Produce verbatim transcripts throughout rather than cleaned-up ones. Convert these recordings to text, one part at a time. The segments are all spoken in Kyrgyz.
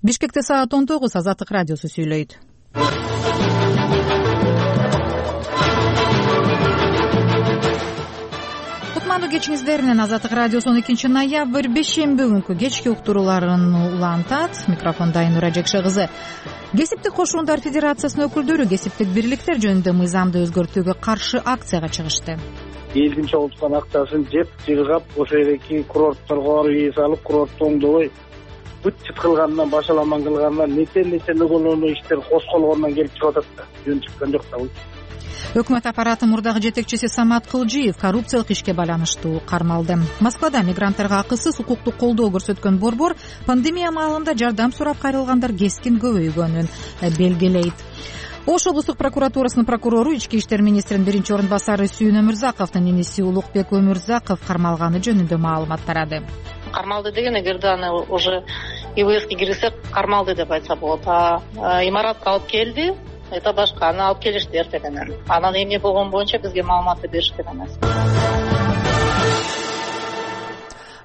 Бишкекте саат он тогуз. Азаттык радиосу сүйлөйт. Кутмандуу кечиңиздер менен Азаттык радиосу он экинчи ноябрь бейшемби күнкү кечки уктурууларын улантат. Микрофонда Айнура Жекше кызы. Кесиптик кошундар федерациясынын өкүлдөрү кесиптик бирликтер жөнүндө мыйзамды өзгөртүүгө каршы акцияга чыгышты. Элдин чогулткан акчасын жеп жыргап, ошол жердеки курортторго барып үй салып, курортто оңдобой бүт чыткылгандан, башаламан кылгандан нече нече нөгөлөнүү иштер кошколгондон келип чыгып атат да. Жөн чыккан жок да бул. Өкмөт аппараты мурдагы жетекчиси Самат Кылжиев коррупциялык ишке байланыштуу кармалды. Москвада мигранттарга акысыз укуктук колдоо көрсөткөн борбор пандемия маалында жардам сурап кайрылгандар кескин көбөйгөнүн белгилейт. Ош облустук прокуратурасынын прокурору ички иштер министринин биринчи орун басары Сүйүн Өмүрзаковдун иниси Улукбек Өмүрзаков кармалганы жөнүндө маалымат тарады. Кармалды деген эгерде аны уже ИВСке киргизсек кармалды деп айтса болот. А имаратка алып келди, это башка, аны алып келишти эртеден. Анан эмне болгон боюнча бизге маалыматты беришкен эмес.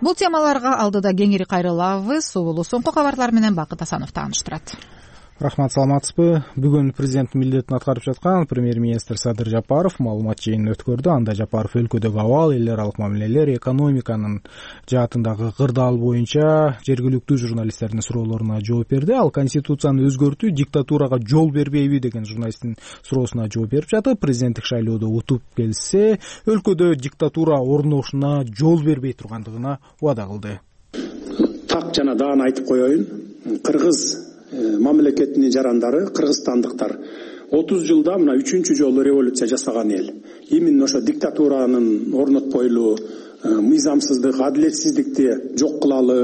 Бул темаларга алдыда кеңири кайрылабыз. Улуу соңку кабарлар менен Бакыт Асанов тааныштырат. Рахмат, саламатсызбы? Бүгүн президент милдетин аткарып жаткан премьер-министр Садыр Жапаров маалымат жыйынын өткөрдү. Анда Жапаров өлкөдөгү абал, эл аралык мамилелер, экономиканын жаатындагы кырдаал боюнча жергиликтүү журналисттердин суроолоруна жооп берди. Ал конституцияны өзгөртүү диктатурага жол бербейби деген журналисттин суроосуна жооп берип жатып, президенттик шайлоодо утуп келсе, өлкөдө диктатура орношуна жол бербей тургандыгына убада кылды. Так жана даана айтып коеюн. Кыргыз мамлекетинин жарандары, кыргызстандыктар отуз жылда мына үчүнчү жолу революция жасаган эл. Именно ошо диктатуранын орнотпойлу, мыйзамсыздык, адилетсиздикти жок кылалы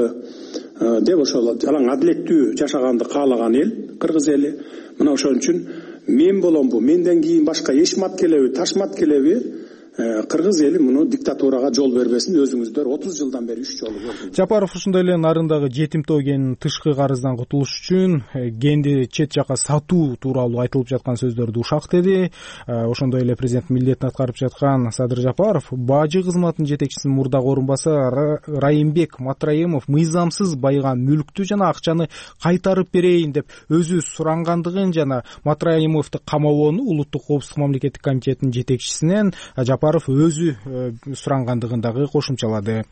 деп ошол жалаң адилеттүү жашаганды каалаган эл кыргыз эли. Мына ошон үчүн мен боломбу, менден кийин башка эшмат келеби, ташмат келеби, кыргыз эли муну диктатурага жол бербесин. Өзүңүздөр отуз жылдан бери үч жолу көрдүңүз. Жапаров ушундай эле нарындагы жетимтоо генин тышкы карыздан кутулуш үчүн генди чет жака сатуу тууралуу айтылып жаткан сөздөрдү ушак деди. Ошондой эле президент милдетин аткарып жаткан Садыр Жапаров бажы кызматынын жетекчисинин мурдагы орун басары Райымбек Матраимов мыйзамсыз байыган мүлктү жана акчаны кайтарып берейин деп өзү сурангандыгын жана Матраимовду камабоону улуттук коопсуздук мамлекеттик комитетинин жетекчисинен Жапаров өзү сурангандыгын дагы кошумчалады.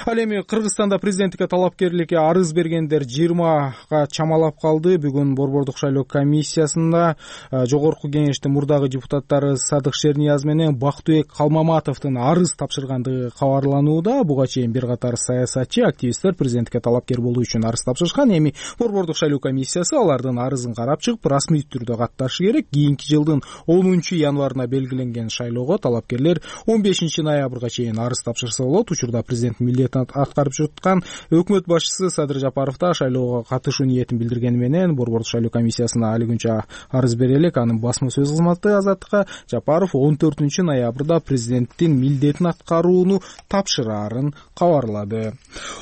Ал эми Кыргызстанда президенттикке талапкерликке арыз бергендер жыйырмага чамалап калды. Бүгүн Борбордук шайлоо комиссиясында жогорку кеңештин мурдагы депутаттары Садык Шернияз менен Бактыбек Калмаматовдун арыз тапшыргандыгы кабарланууда. Буга чейин бир катар саясатчы, активисттер президенттикке талапкер болуу үчүн арыз тапшырышкан. Эми Борбордук шайлоо комиссиясы алардын арызын карап чыгып, расмий түрдө катташы керек. Кийинки жылдын онунчу январына белгиленген шайлоого талапкерлер он бешинчи ноябрга чейин арыз тапшырса болот. Учурда президент милдетин аткарып жаткан өкмөт башчысы Садыр Жапаров да шайлоого катышуу ниетин билдиргени менен Борбордук шайлоо комиссиясына али күнчө арыз бере элек. Анын басма сөз кызматы Азаттыкка Жапаров он төртүнчү ноябрда президенттин милдетин аткарууну тапшырарын кабарлады.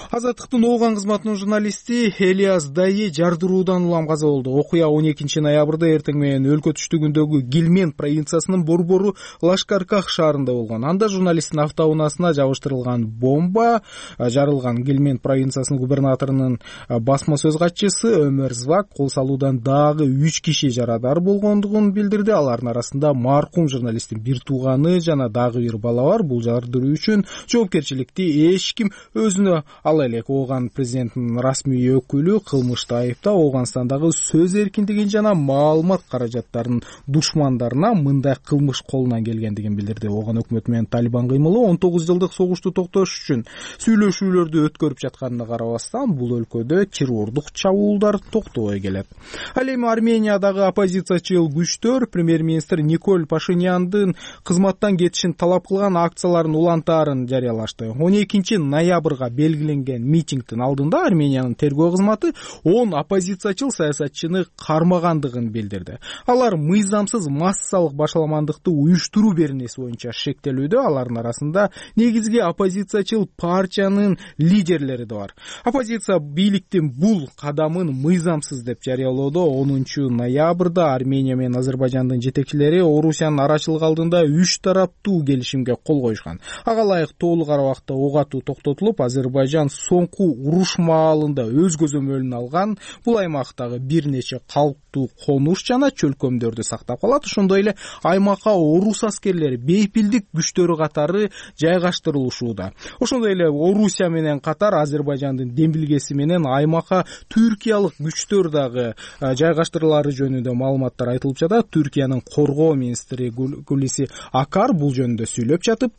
Азаттыктын Ооган кызматынын журналисти Элияс Дайы жардыруудан улам каза болду. Окуя он экинчи ноябрда эртең менен өлкө түштүгүндөгү Гилмен провинциясынын Борбору Лашкарках шаарында болгон. Анда журналисттин автоунаасына жабыштырылган бомба жарылган. Гилмен провинциясынын губернаторунун басма сөз катчысы Өмөр Звак кол салуудан дагы үч киши жарадар болгондугун билдирди. Алардын арасында маркум журналисттин бир тууганы жана дагы бир бала бар. Бул жардыруу үчүн жоопкерчиликти эч ким өзүнө ала элек. Ооган президентинин расмий өкүлү кылмышты айыптап, Ооганстандагы сөз эркиндигин жана маалымат каражаттарынын душмандарына мындай кылмыш колунан келгендигин билдирди. Ооган өкмөтү менен Талибан кыймылы он тогуз жылдык согушту токтош үчүн сүйлөшүүлөрдү өткөрүп жатканына карабастан, бул өлкөдө террордук чабуулдар токтобой келет. Ал эми Армениядагы оппозициячыл күчтөр премьер-министр Николь Пашиняндын кызматтан кетишин талап кылган акцияларын улантаарын жарыялашты. он экинчи ноябрга белгиленген митингдин алдында Армениянын тергөө кызматы он оппозициячыл саясатчыны кармагандыгын билдирди. Алар мыйзамсыз массалык башаламандыкты уюштуруу беренеси боюнча шектелүүдө. Алардын арасында негизги оппозициячыл партиянын лидерлери да бар. Оппозиция бийликтин бул кадамын мыйзамсыз деп жарыялоодо. онунчу ноябрда Армения менен Азербайжандын жетекчилери Орусиянын арачылык алдында үч тараптуу келишимге кол коюшкан. Ага ылайык толук убакытта ок атуу токтотулуп, Азербайжан соңку уруш маалында өз көзөмөлүнө алган бул аймактагы бир нече калктуу конуш жана чөлкөмдөрдү сактап калат. Ошондой эле аймакка орус аскерлери бейпилдик күчтөрү катары жайгаштырылышууда. Ошондой эле Орусия менен катар Азербайжандын демилгеси менен аймакка түркиялык күчтөр дагы жайгаштырылары жөнүндө маалыматтар айтылып жатат. Түркиянын коргоо министри Гулиси Акар бул жөнүндө сүйлөп жатып,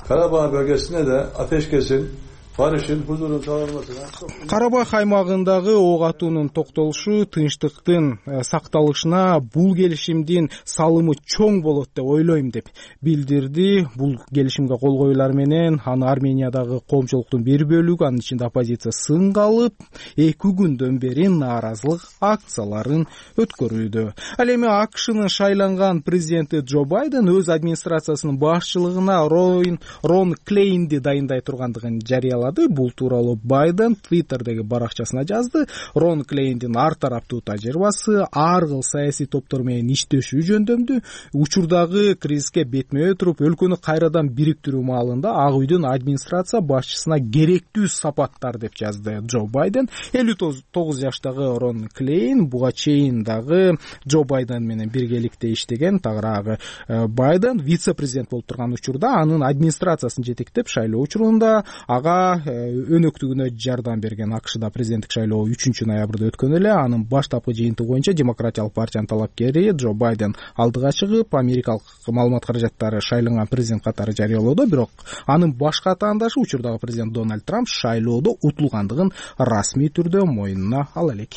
Карабağ bölgesine de ateşkesin, barışın, huzurun sağlanmasına. Карабах аймагындагы ок атуунун токтолушу, тынчтыктын сакталышына бул келишимдин салымы чоң болот деп ойлойм деп билдирди. Бул келишимге кол коюлар менен аны Армениядагы коомчулуктун бир бөлүгү, анын ичинде оппозиция сынга алып, эки күндөн бери нааразылык акцияларын өткөрүүдө. Ал эми АКШнын шайланган президенти Джо Байден өз администрациясынын башчылыгына Рон, Рон Клейнди дайындай тургандыгын жарыялады. Бул тууралуу Байден Twitterдеги баракчасына жазды. Рон Клейндин ар тараптуу тажрыйбасы, ар кыл саясий топтор менен иштешүү жөндөмдүү, учурдагы кризиске бетме-бет туруп өлкөнү кайрадан бириктирүү маалында Ак үйдүн администрация башчысына керектүү сапаттар деп жазды Джо Байден. элүү тогуз жаштагы Рон Клейн буга чейин дагы Джо Байден менен биргеликте иштеген. Тагыраагы Байден вице-президент болуп турган учурда анын администрациясын жетектеп шайлоо учурунда ага өнөктүгүнө жардам берген. АКШда президенттик шайлоо үчүнчү ноябрда өткөн эле. Анын баштапкы жыйынтыгы боюнча демократиялык партиянын талапкери Джо Байден алдыга чыгып, америкалык маалымат каражаттары шайланган президент катары жарыялоодо, бирок анын башка атаандашы учурдагы президент Дональд Трамп шайлоодо утулгандыгын расмий түрдө мойнуна ала элек.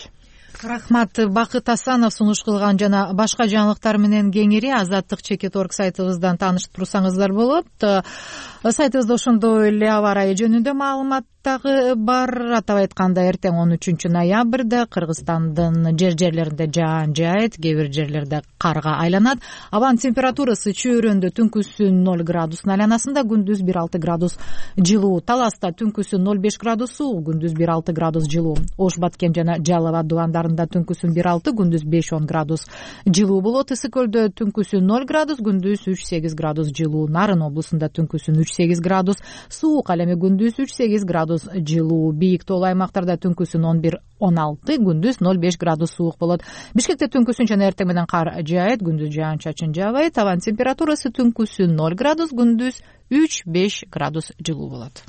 Рахмат. Бакыт Асанов сунуш кылган жана башка жаңылыктар менен кеңири азаттык чекит орг сайтыбыздан таанышып турсаңыздар болот. Сайтыбызда ошондой эле аба ырайы жөнүндө маалымат дагы бар. Атап айтканда, эртең он үчүнчү ноябрда Кыргызстандын жер жерлеринде жаан жаайт, кээ бир жерлерде карга айланат. Абанын температурасы чөйрөндө түнкүсүн ноль градус, айланасында күндүз бир алты градус жылуу. Таласта түнкүсүн ноль беш градус суук, күндүз бир алты градус жылуу. Ош Баткен жана Жалал абад дубандарында түнкүсүн бир алты, күндүз беш он градус жылуу болот. Ысык көлдө түнкүсүн ноль градус, күндүз үч сегиз градус жылуу. Нарын облусунда түнкүсүн үч сегиз градус суук, ал эми күндүз үч сегиз градус жылуу. Бийик тоолуу аймактарда түнкүсүн он бир он алты, күндүз ноль беш градус суук болот. Бишкекте түнкүсүн жана эртең менен кар жаайт, күндүз жаан чачын жаабайт. Абанын температурасы түнкүсүн ноль градус, күндүз үч беш градус жылуу болот.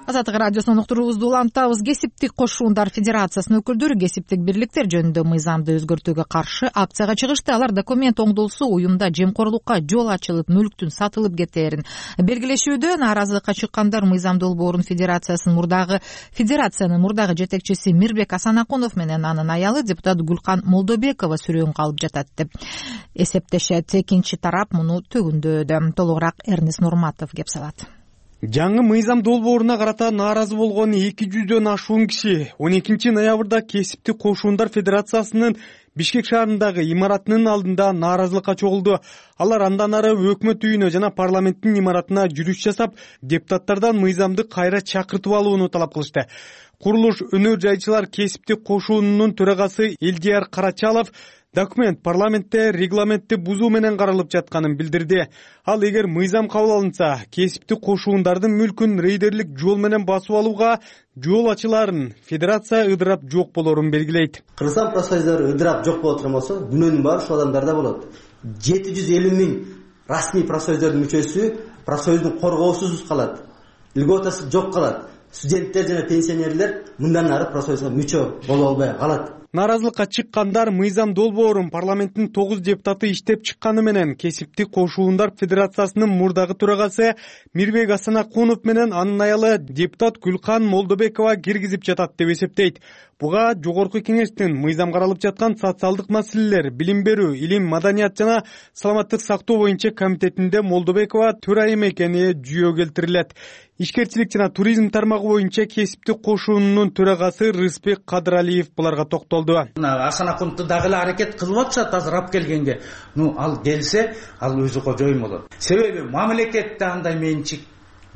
Азаттык радиосунун уктуруубузду улантабыз. Кесиптик кошуундар федерациясынын өкүлдөрү кесиптик бирликтер жөнүндө мыйзамды өзгөртүүгө каршы акцияга чыгышты. Алар документ оңдолсо уюмда жемкорлукка жол ачылып, мүлктүн сатылып кетээрин белгилешүүдө. Нааразылыкка чыккандар мыйзам долбоорун федерациясынын мурдагы федерациянын мурдагы жетекчиси Мирбек Асанакунов менен анын аялы депутат Гүлкан Молдобекова сүрөөнгө алып жатат деп эсептешет. Экинчи тарап муну төгүндөдө. Толугураак Эрнес Нурматов кеп салат. Жаңы мыйзам долбооруна карата нааразы болгон эки жүздөн ашуун киши он экинчи ноябрда Кесиптик кошуундар федерациясынын Бишкек шаарындагы имаратынын алдында нааразылыкка чогулду. Алар андан ары өкмөт үйүнө жана парламенттин имаратына жүрүш жасап, депутаттардан мыйзамды кайра чакыртып алууну талап кылышты. Курулуш өнөр жайчылар Кесиптик кошуунунун төрагасы Элдияр Карачалов документ парламентте регламентти бузуу менен каралып жатканын билдирди. Ал эгер мыйзам кабыл алынса, кесиптик кошуундардын мүлкүн рейдерлик жол менен басып алууга жол ачыларын федерация ыдырап жок болорун белгилейт. Кыргызстан профсоюздары ыдырап жок боло турган болсо, күнөөнүн баары ушул адамдарда болот. жети жүз элүү миң расмий профсоюздардын мүчөсү профсоюздун коргоосуз калат. Льготасы жок калат. Студенттер жана пенсионерлер мындан ары профсоюзга мүчө боло албай калат. Нааразылыкка чыккандар мыйзам долбоорун парламенттин тогуз депутаты иштеп чыкканы менен Кесиптик кошуундар федерациясынын мурдагы төрагасы Мирбек Асанакунов менен анын аялы депутат Гүлкан Молдобекова киргизип жатат деп эсептейт. Буга жогорку кеңештин мыйзам каралып жаткан социалдык маселелер, билим берүү, илим, маданият жана саламаттык сактоо боюнча комитетинде Молдобекова төрайым экени жүйө келтирилет. Ишкерчилик жана туризм тармагы боюнча кесиптик кошуунунун төрагасы Рыспек Кадыралиев буларга токтолду. Асан Акуновду дагы эле аракет кылып атышат азыр алып келгенге. Ну, ал келсе, ал өзү кожоюн болот. Себеби мамлекетте андай менчик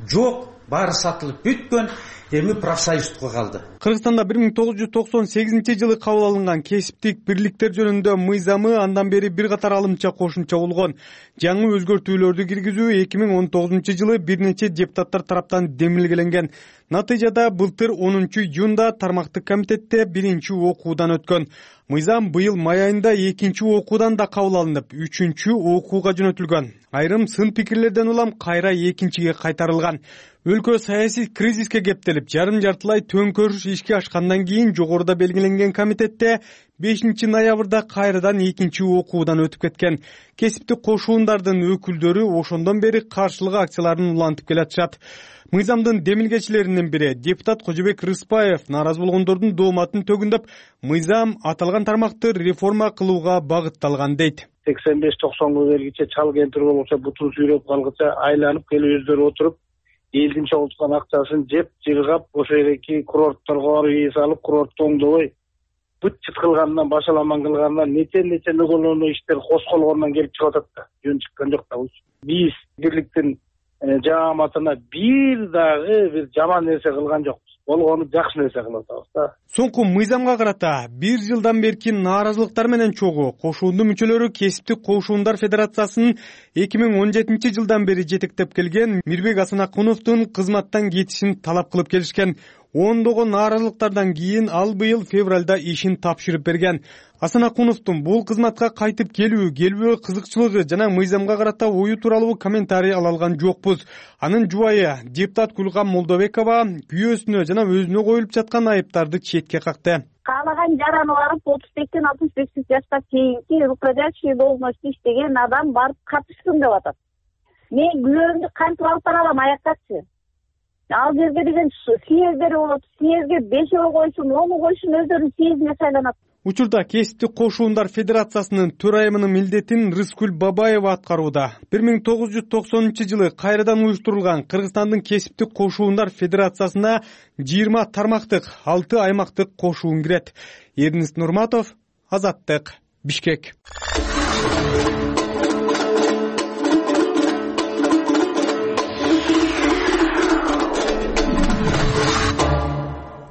жок, баары сатылып бүткөн. Эми профсоюздукка калды. Кыргызстанда бир миң тогуз жүз токсон сегизинчи жылы кабыл алынган кесиптик бирликтер жөнүндө мыйзамы андан бери бир катар алымча кошумча болгон. Жаңы өзгөртүүлөрдү киргизүү эки миң он тогузунчу жылы бир нече депутаттар тараптан демилгеленген. Натыйжада былтыр онунчу июнда тармактык комитетте биринчи окуудан өткөн. Мыйзам быйыл май айында экинчи окуудан да кабыл алынып, үчүнчү окууга жөнөтүлгөн. Айрым сын пикирлерден улам кайра экинчиге кайтарылган. Өлкө саясий кризиске кептелип, жарым жартылай төңкөрүш ишке ашкандан кийин жогоруда белгиленген комитетте бешинчи ноябрда кайрадан экинчи окуудан өтүп кеткен. Кесиптик кошуундардын өкүлдөрү ошондон бери каршылык акцияларын улантып келатышат. Мыйзамдын демилгечилеринин бири депутат Кожобек Рыспаев нааразы болгондордун дооматын төгүндөп, мыйзам аталган тармакты реформа кылууга багытталган дейт. сексен беш токсонго бергиче чал кемпир болчу бутун сүйрөп калгыча айланып келип өздөрү отуруп, элдин чогулткан акчасын жеп, жыргап, ошо жердеги курортторго барып үй салып, курортду оңдобой, бүт чыт кылгандан, башаламан кылгандан, нече-нече нөгөлөнүү иштер косколгондон келип чыгып атат да. Жөн чыккан жок да. Биз бирликтин жааматына бир дагы бир жаман нерсе кылган жокпуз. Болгону жакшы нерсе кылып атабыз да. Соңку мыйзамга карата бир жылдан берки нааразылыктар менен чогуу кошуундун мүчөлөрү Кесиптик кошуундар федерациясынын эки миң он жетинчи жылдан бери жетектеп келген Мирбек Асанакуновдун кызматтан кетишин талап кылып келишкен. Ондогон нааразылыктардан кийин ал быйыл февралда ишин тапшырып берген. Асанакуновдун бул кызматка кайтып келүү, келбөө кызыкчылыгы жана мыйзамга карата ою тууралуу комментарий ала алган жокпуз. Анын жубайы депутат Гүлгам Молдобекова күйөөсүнө жана өзүнө коюлуп жаткан айыптарды четке какты. Каалаган жараны барып отуз бештен алтымыш беш жашка чейинки руководящий должностьта иштеген адам барып катышсын деп атат. Мен күнөөмдү кантип алып бара алам аяктачы? Ал жерге деген съездери болот, съездге бешөө койсун, ону койсун, өздөрүнүн съездине шайланат. Учурда Кесиптик кошуундар федерациясынын төрайымынын милдетин Рыскүл Бабаева аткарууда. бир миң тогуз жүз токсонунчу жылы кайрадан уюштурулган Кыргызстандын Кесиптик кошуундар федерациясына жыйырма тармактык, алты аймактык кошуун кирет. Эрнис Нурматов, Азаттык, Бишкек.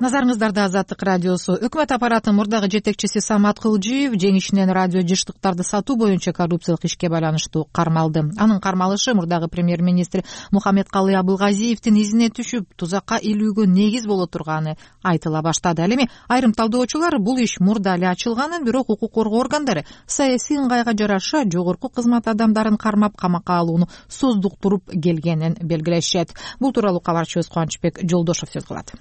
Назарыңыздарда Азаттык радиосу. Өкмөт аппаратынын мурдагы жетекчиси Самат Кылжиев жеңишинен радио жыштыктарды сатуу боюнча коррупциялык ишке байланыштуу кармалды. Анын кармалышы мурдагы премьер-министр Мухаммедкалый Абылгазиевдин изине түшүп, тузакка илүүгө негиз боло турганы айтыла баштады. Ал эми айрым талдоочулар бул иш мурда эле ачылганын, бирок укук коргоо органдары саясий ыңгайга жараша жогорку кызмат адамдарын кармап камакка алууну создуктуруп келгенин белгилешет. Бул тууралуу кабарчыбыз Кубанычбек Жолдошов сөз кылат.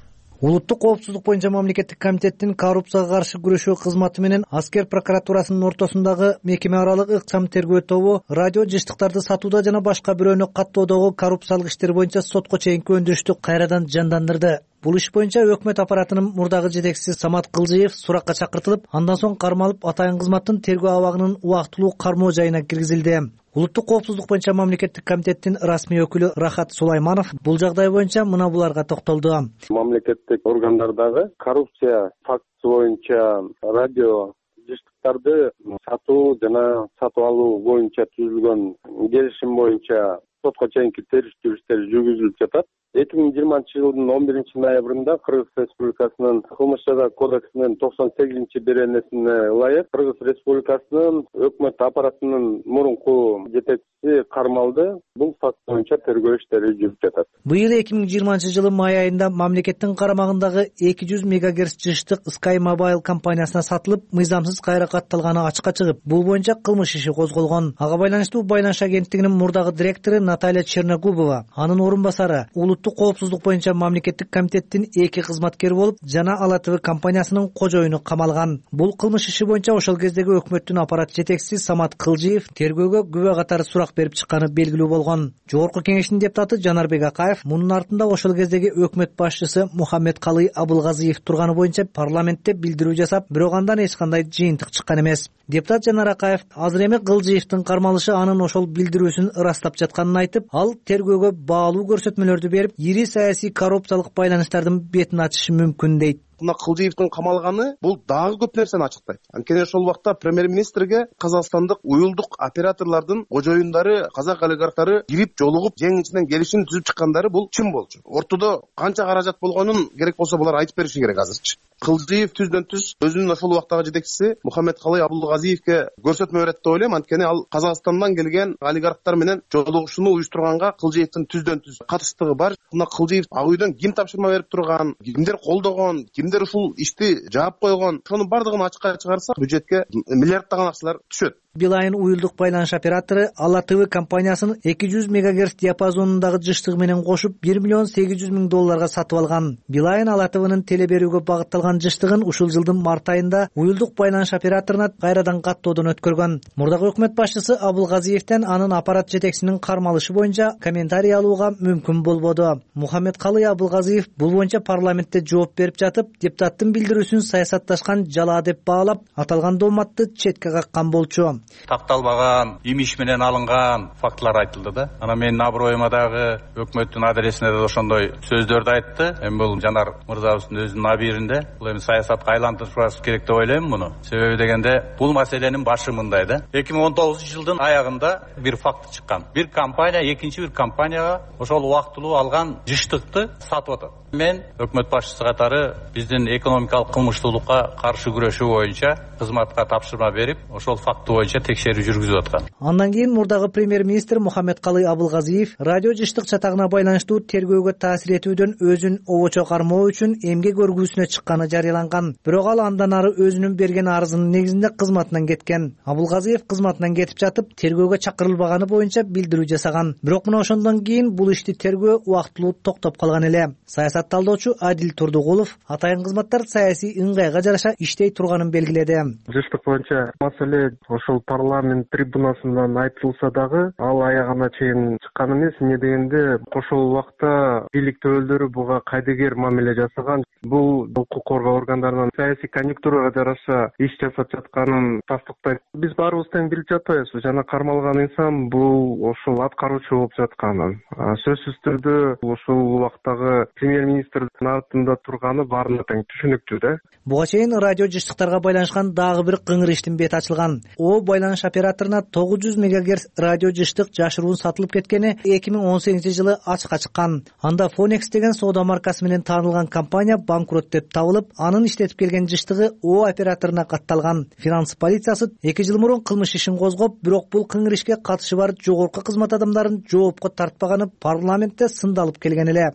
Улуттук коопсуздук боюнча мамлекеттик комитеттин коррупцияга каршы күрөшүү кызматы менен аскер прокуратурасынын ортосундагы мекеме аралык ыкчам тергөө тобу радио жыштыктарды сатууда жана башка бирөөнү каттоодогу коррупциялык иштер боюнча сотко чейинки өндүрүштү кайрадан жандандырды. Бул иш боюнча өкмөт аппаратынын мурдагы жетекчиси Самат Кылжиев суракка чакыртылып, андан соң кармалып атайын кызматтын тергөө абагынын убактылуу кармоо жайына киргизилди. Улуттук коопсуздук боюнча мамлекеттик комитеттин расмий өкүлү Рахат Сулайманов бул жагдай боюнча мына буларга токтолду. Мамлекеттик органдардагы коррупция фактысы боюнча радио жыштыктарды сатуу жана сатып алуу боюнча түзүлгөн келишим боюнча сотко чейинки териштирүү иштери жүргүзүлүп жатат. эки миң жыйырманчы жылдын он биринчи ноябрында Кыргыз Республикасынын Кылмыш жаза кодексинин токсон сегизинчи беренесине ылайык Кыргыз Республикасынын өкмөт аппаратынын мурунку жетекчиси кармалды. Бул факт боюнча тергөө иштери жүрүп жатат. Быйыл эки миң жыйырманчы жылы май айында мамлекеттин карамагындагы эки жүз мегагерц жыштык Sky Mobile компаниясына сатылып, мыйзамсыз кайра катталганы ачыкка чыгып, бул боюнча кылмыш иши козголгон. Ага байланыштуу Байланыш агенттигинин мурдагы директору Наталья Черногубова, анын орун басары улуттук улуттук коопсуздук боюнча мамлекеттик комитеттин эки кызматкери болуп, жана Ала ТВ компаниясынын кожоюну камалган. Бул кылмыш иши боюнча ошол кездеги өкмөттүн аппарат жетекчиси Самат Кылжиев тергөөгө күбө катары сурак берип чыкканы белгилүү болгон. Жогорку кеңештин депутаты Жанарбек Акаев мунун артында ошол кездеги өкмөт башчысы Мухаммедкалый Абылгазиев турганы боюнча парламентте билдирүү жасап, бирок андан эч кандай жыйынтык чыккан эмес. Депутат Жанар Акаев азыр эми Кылжиевдин кармалышы анын ошол билдирүүсүн ырастап жатканын айтып, ал тергөөгө баалуу көрсөтмөлөрдү берип, ири саясий коррупциялык байланыштардын бетин ачышы мүмкүн дейт. Мына Кылжиевдин камалганы бул дагы көп нерсени ачыктайт. Анткени ошол убакта премьер-министрге казакстандык уюлдук операторлордун кожоюндары, казак олигархтары кирип жолугуп, жең ичинен келишим түзүп чыккандары бул чын болчу. Ортодо канча каражат болгонун керек болсо булар айтып бериши керек азырчы. Кылжиев түздөн түз өзүнүн ошол убактагы жетекчиси Мухаммедкалый Абылгазиевке көрсөтмө берет деп ойлойм. Анткени ал Казакстандан келген олигархтар менен жолугушууну уюштурганга Кылжиевдин түздөн түз катыштыгы бар. Мына Кылжиев ак үйдөн ким тапшырма берип турган, кимдер колдогон, кимдер ушул ишти жаап койгон, ошонун бардыгын ачыкка чыгарсак, бюджетке миллиарддаган акчалар түшөт. Билайн уюлдук байланыш оператору Ала ТВ компаниясынын эки жүз мегагерц диапазонундагы жыштыгы менен кошуп бир миллион сегиз жүз миң долларга сатып алган. Билайн Ала ТВнын теле берүүгө багытталган жыштыгын ушул жылдын март айында уюлдук байланыш операторуна кайрадан каттоодон өткөргөн. Мурдагы өкмөт башчысы Абылгазиевден анын аппарат жетекчисинин кармалышы боюнча комментарий алууга мүмкүн болбоду. Мухаммедкалый Абылгазиев бул боюнча парламентте жооп берип жатып, депутаттын билдирүүсүн саясатташкан жала деп баалап, аталган дооматты четке каккан болчу. Такталбаган, имиш менен алынган фактылар айтылды да. Ана менин аброюма дагы өкмөттүн адресине да ошондой сөздөрдү айтты. Эми бул Жанар мырзабыздын өзүнүн абийиринде. Бул эми саясатка айлантырышыбыз керек деп ойлойм муну. Себеби дегенде бул маселенин башы мындай да. эки миң он тогузунчу жылдын аягында бир факт чыккан. Бир компания экинчи бир компанияга ошол убактылуу алган жыштыкты сатып атат. Мен өкмөт башчысы катары биздин экономикалык кылмыштуулукка каршы күрөшүү боюнча кызматка тапшырма берип, ошол факты боюнча текшерүү жүргүзүп аткан. Андан кийин мурдагы премьер-министр Мухаммедкалый Абылгазиев радио жыштык чатагына байланыштуу тергөөгө таасир этүүдөн өзүн обочо кармоо үчүн эмгек өргүүсүнө чыкканы жарыяланган. Бирок ал андан ары өзүнүн берген арызынын негизинде кызматынан кеткен. Абылгазиев кызматынан кетип жатып, тергөөгө чакырылбаганы боюнча билдирүү жасаган. Бирок мына ошондон кийин бул ишти тергөө убактылуу токтоп калган эле. Саясат талдоочу Адил Турдугулов атайын кызматтар саясий ыңгайга жараша иштей турганын белгиледи. Жыштык боюнча маселе ошол парламент трибунасынан айтылса дагы ал аягына чейин чыккан эмес. Эмне дегенде ошол убакта бийлик төбөлдөрү буга кайдыгер мамиле жасаган. Бул укук коргоо органдарынын саясий конъюнктурага жараша иш жасап жатканын тастыктайт. Биз баарыбыз тең билип жатпайбызбы, жана кармалган инсан бул ошол аткаруучу болуп жатканын. Сөзсүз түрдө ошол убактагы премьер-министрдин артында турганы баарына тең түшүнүктүү да. Буга чейин радио жыштыктарга байланышкан дагы бир кыңыр иштин бети ачылган. О байланыш операторуна тогуз жүз мегагерц радио жыштык жашыруун сатылып кеткени эки миң он сегизинчи жылы ачыкка чыккан. Анда Phonex деген соода маркасы менен таанылган компания банкрот деп табылып, анын иштетип келген жыштыгы О операторуна катталган. Финанс полициясы эки жыл мурун кылмыш ишин козгоп, бирок бул кыңыр ишке катышы бар жогорку кызмат адамдарын жоопко тартпаганы парламентте сындалып келген эле.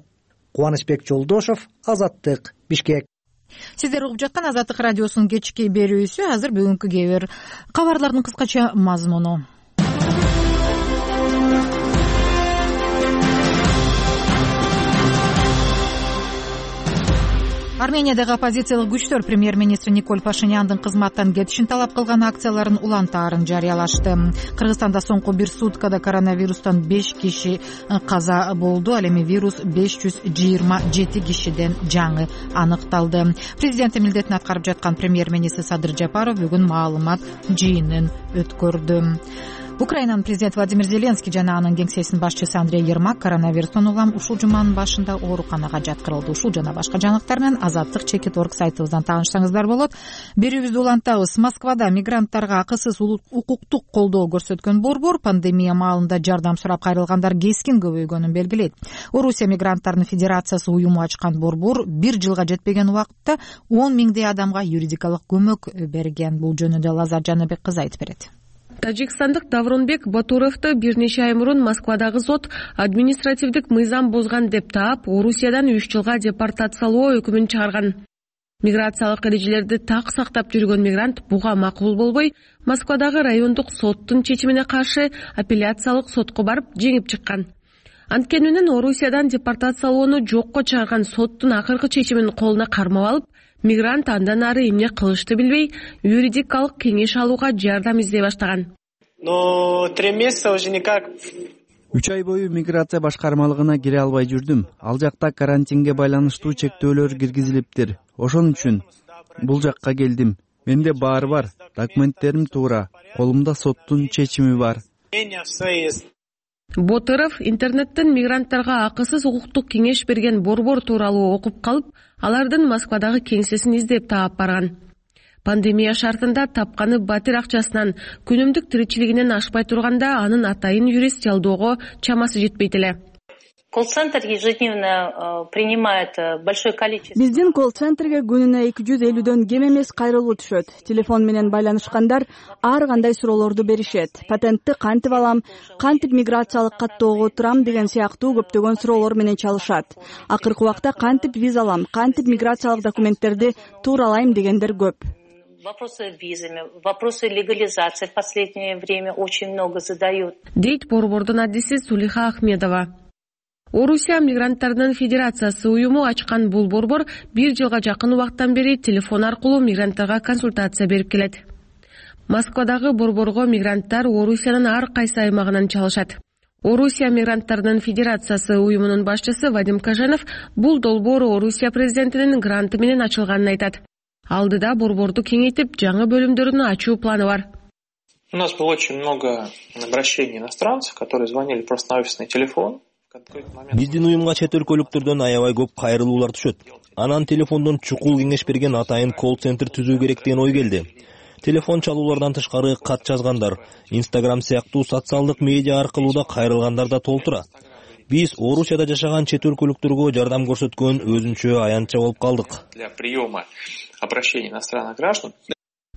Кубанычбек Жолдошов, Азаттык, Бишкек. Сиздер угуп жаткан Азаттык радиосунун кечки берүүсү. Азыр бүгүнкү кээ бир кабарлардын кыскача мазмуну. Армениядагы оппозициялык күчтөр премьер-министр Николь Пашиняндын кызматтан кетишин талап кылган акцияларын улантаарын жарыялашты. Кыргызстанда соңку бир суткада коронавирустан беш киши каза болду. Ал эми вирус беш жүз жыйырма жети кишиден жаңы аныкталды. Президент милдетин аткарып жаткан премьер-министр Садыр Жапаров бүгүн маалымат жыйынын өткөрдү. Украинанын президенти Владимир Зеленский жана анын кеңсесинин башчысы Андрей Ермак коронавирустан улам ушул жуманын башында ооруканага жаткырылды. Ушул жана башка жаңылыктар менен азаттык чекит точка орг сайтыбыздан таанышсаңыздар болот. Берүүбүздү улантабыз. Москвада мигранттарга акысыз укуктук колдоо көрсөткөн борбор пандемия маалында жардам сурап кайрылгандар кескин көбөйгөнүн белгилейт. Орусия мигранттарынын федерациясы уюму ачкан борбор бир жылга жетпеген убакытта он миңдей адамга юридикалык көмөк берген. Бул жөнүндө Лазар Жаныбек кызы айтып берет. Тажикстандык Давронбек Батуровду бир нече ай мурун Москвадагы сот административдик мыйзам бузган деп таап, Орусиядан үч жылга депортациялоо өкүмүн чыгарган. Миграциялык эрежелерди так сактап жүргөн мигрант буга макул болбой, Москвадагы райондук соттун чечимине каршы апелляциялык сотко барып жеңип чыккан. Анткени менен Орусиядан депортациялоону жокко чыгарган соттун акыркы чечимин колуна кармап алып, мигрант андан ары эмне кылышты билбей, юридикалык кеңеш алууга жардам издей баштаган. Но три месяца уже никак. Үч ай бою миграция башкармалыгына кире албай жүрдүм. Ал жакта карантинге байланыштуу чектөөлөр киргизилиптир. Ошон үчүн бул жакка келдим. Менде баары бар, документтерим туура, колумда соттун чечими бар. Ботыров интернеттен мигранттарга акысыз укуктук кеңеш берген борбор тууралуу окуп калып, алардын Москвадагы кеңсесин издеп таап барган. Пандемия шартында тапканы батир акчасынан күнүмдүк тиричилигинен ашпай турганда анын атайын юрист жалдоого чамасы жетпейт эле. Колл-центр ежедневно принимает большое количество. Биздин колл-центрге күнүнө эки жүз элүүдөн кем эмес кайрылуу түшөт. Телефон менен байланышкандар ар кандай суроолорду беришет. Патентти кантип алам, кантип миграциялык каттоого турам деген сыяктуу көптөгөн суроолор менен чалышат. Акыркы убакта кантип виза алам, кантип миграциялык документтерди тууралайм дегендер көп. Вопросы визами, вопросы легализации в последнее время очень много задают. Дейт борбордун адиси Сулиха Ахмедова. Орусия мигранттарынын федерациясы уюму ачкан бул борбор бир жылга жакын убакыттан бери телефон аркылуу мигранттарга консультация берип келет. Москвадагы борборго мигранттар Орусиянын ар кайсы аймагынан чалышат. Орусия мигранттарынын федерациясы уюмунун башчысы Вадим Кажанов бул долбоор Орусия президентинин гранты менен ачылганын айтат. Алдыда борборду кеңейтип, жаңы бөлүмдөрүн ачуу планы бар. У нас было очень много обращений иностранцев, которые звонили просто на офисный телефон. Биздин уюмга чет өлкөлүктөрдөн аябай көп кайрылуулар түшөт. Анан телефондон чукул кеңеш берген атайын колл-центр түзүү керек деген ой келди. Телефон чалуулардан тышкары кат жазгандар, Instagram сыяктуу социалдык медиа аркылуу да кайрылгандар да толтура. Биз Орусияда жашаган чет өлкөлүктөргө жардам көрсөткөн өзүнчө аянтча болуп калдык. Для приема обращений иностранных граждан.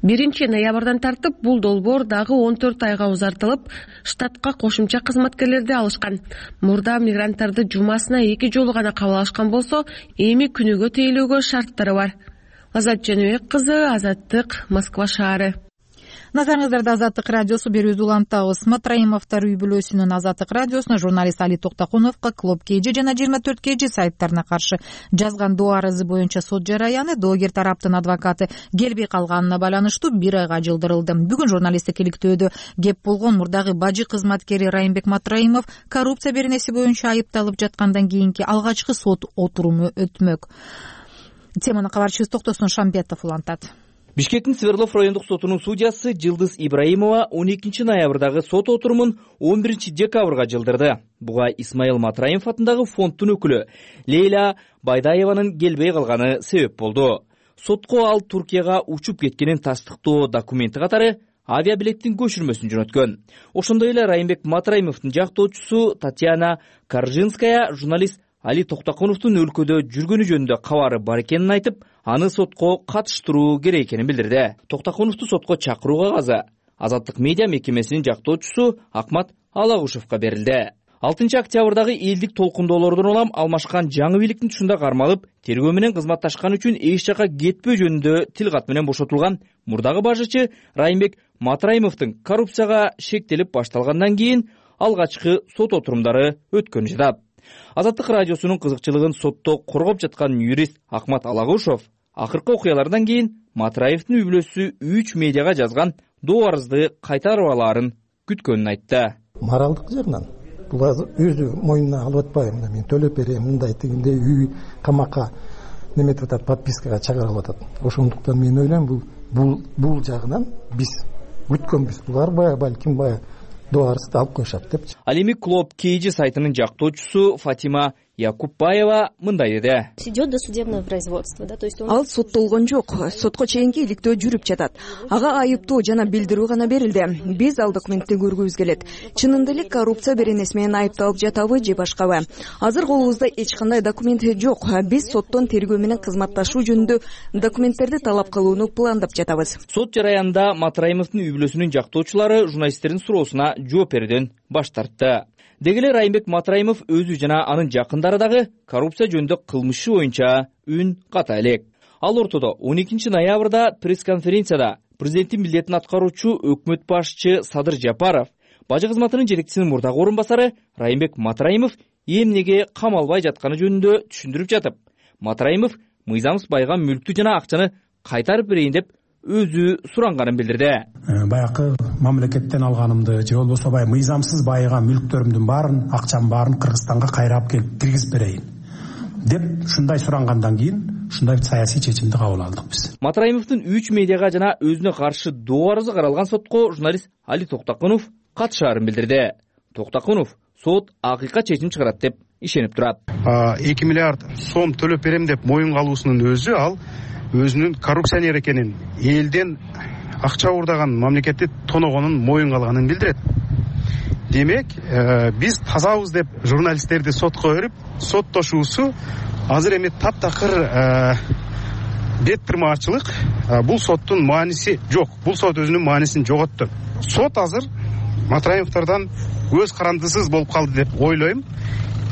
биринчи ноябрдан тартып бул долбоор дагы он төрт айга узартылып, штатка кошумча кызматкерлерди алышкан. Мурда мигранттарды жумасына эки жолу гана кабыл алышкан болсо, эми күнүгө тейлөөгө шарттары бар. Азат Жаныбек кызы, Азаттык, Москва шаары. Назарыңыздарда Азаттык радиосу берүүбүздү улантабыз. Матраимовдор үй бүлөсүнүн Азаттык радиосуна журналист Али Токтокуновго Клуб кей жи жана жыйырма төрт кей жи сайттарына каршы жазган доо арызы боюнча сот жараяны доогер тараптын адвокаты келбей калганына байланыштуу бир айга жылдырылды. Бүгүн журналисттик иликтөөдө кеп болгон мурдагы бажы кызматкери Райымбек Матраимов коррупция беренеси боюнча айыпталып жаткандан кийинки алгачкы сот отуруму өтмөк. Теманы кабарчыбыз Токтосун Шамбетов улантат. Бишкектин Свердлов райондук сотунун судьясы Жылдыз Ибраимова он экинчи ноябрдагы сот отурумун он биринчи декабрга жылдырды. Буга Исмаил Матраимов атындагы фонддун өкүлү Лейла Байдаеванын келбей калганы себеп болду. Сотко ал Туркияга учуп кеткенин тастыктоо документи катары авиабилеттин көчүрмөсүн жөнөткөн. Ошондой эле Райымбек Матраимовдун жактоочусу Татьяна Каржинская журналист Али Токтокуновдун өлкөдө жүргөнү жөнүндө кабары бар экенин айтып, аны сотко катыштыруу керек экенин билдирди. Токтокуновду сотко чакыруу кагазы Азаттык медиа мекемесинин жактоочусу Акмат Алагушевго берилди. алтынчы октябрдагы элдик толкундоолордон улам алмашкан жаңы бийликтин тушунда кармалып, тергөө менен кызматташкан үчүн эч жака кетпөө жөнүндө тил кат менен бошотулган мурдагы бажычы Райымбек Матраимовдун коррупцияга шектелип башталгандан кийин алгачкы сот отурумдары өткөнү жатат. Азаттык радиосунун кызыкчылыгын сотто коргоп жаткан юрист Акмат Алагушев акыркы окуялардан кийин Матраевдин үй бүлөсү үч медиага жазган доо арызды кайтарып алаарын күткөнүн айтты. Моралдык жагынан бул өзү мойнуна алып атпайбы, мен төлөп берем, мындай дегенде үй камакка неметип атат, подпискага чыгарып атат. Ошондуктан мен ойлойм бул бул бул жагынан биз күткөнбүз. Булар бая балким бая доо арызды алып коюшат депчи. Ал эми Клуб кей жи сайтынын жактоочусу Фатима Якупбаева мындай деди. Идет досудебное производство, да, то есть ал соттолгон жок, сотко чейинки иликтөө жүрүп жатат. Ага айыптоо жана билдирүү гана берилди. Биз ал документти көргүбүз келет. Чынында эле коррупция беренеси менен айыпталып жатабы же башкабы? Азыр колубузда эч кандай документ жок. Биз соттон тергөө менен кызматташуу жөнүндө документтерди талап кылууну пландап жатабыз. Сот жараянда Матраимовдун үй бүлөсүнүн жактоочулары журналисттердин суроосуна жооп берүүдөн баш тартты. Дегеле Райымбек Матраимов өзү жана анын жакындары дагы коррупция жөнүндө кылмышы боюнча үн ката элек. Ал ортодо он экинчи ноябрда пресс-конференцияда президенттин милдетин аткаруучу өкмөт башчы Садыр Жапаров, бажы кызматынын жетекчисинин мурдагы орун басары Райымбек Матраимов эмнеге камалбай жатканы жөнүндө түшүндүрүп жатып, Матраимов мыйзам байыган мүлктү жана акчаны кайтарып берейин деп өзү суранганын билдирди. Баягы мамлекеттен алганымды же болбосо баягы мыйзамсыз байыган мүлктөрүмдүн баарын, акчамдын баарын Кыргызстанга кайрап келип киргизип берейин деп ушундай сурангандан кийин ушундай саясий чечимди кабыл алдык биз. Матраимовдун үч медиага жана өзүнө каршы доо арызы каралган сотко журналист Али Токтокунов катышаарын билдирди. Токтокунов сот акыйкат чечим чыгарат деп ишенип турат. эки миллиард сом төлөп берем деп моюнга алуусунун өзү ал өзүнүн коррупционер экенин, элден акча уурдаган, мамлекетти тоногонун моюнга алганын билдирет. Демек, биз тазабыз деп журналисттерди сотко берип, соттошуусу азыр эми таптакыр бет тырмаачылык. Бул соттун мааниси жок. Бул сот өзүнүн маанисин жоготту. Сот азыр Матраимовдордон көз карандысыз болуп калды деп ойлойм.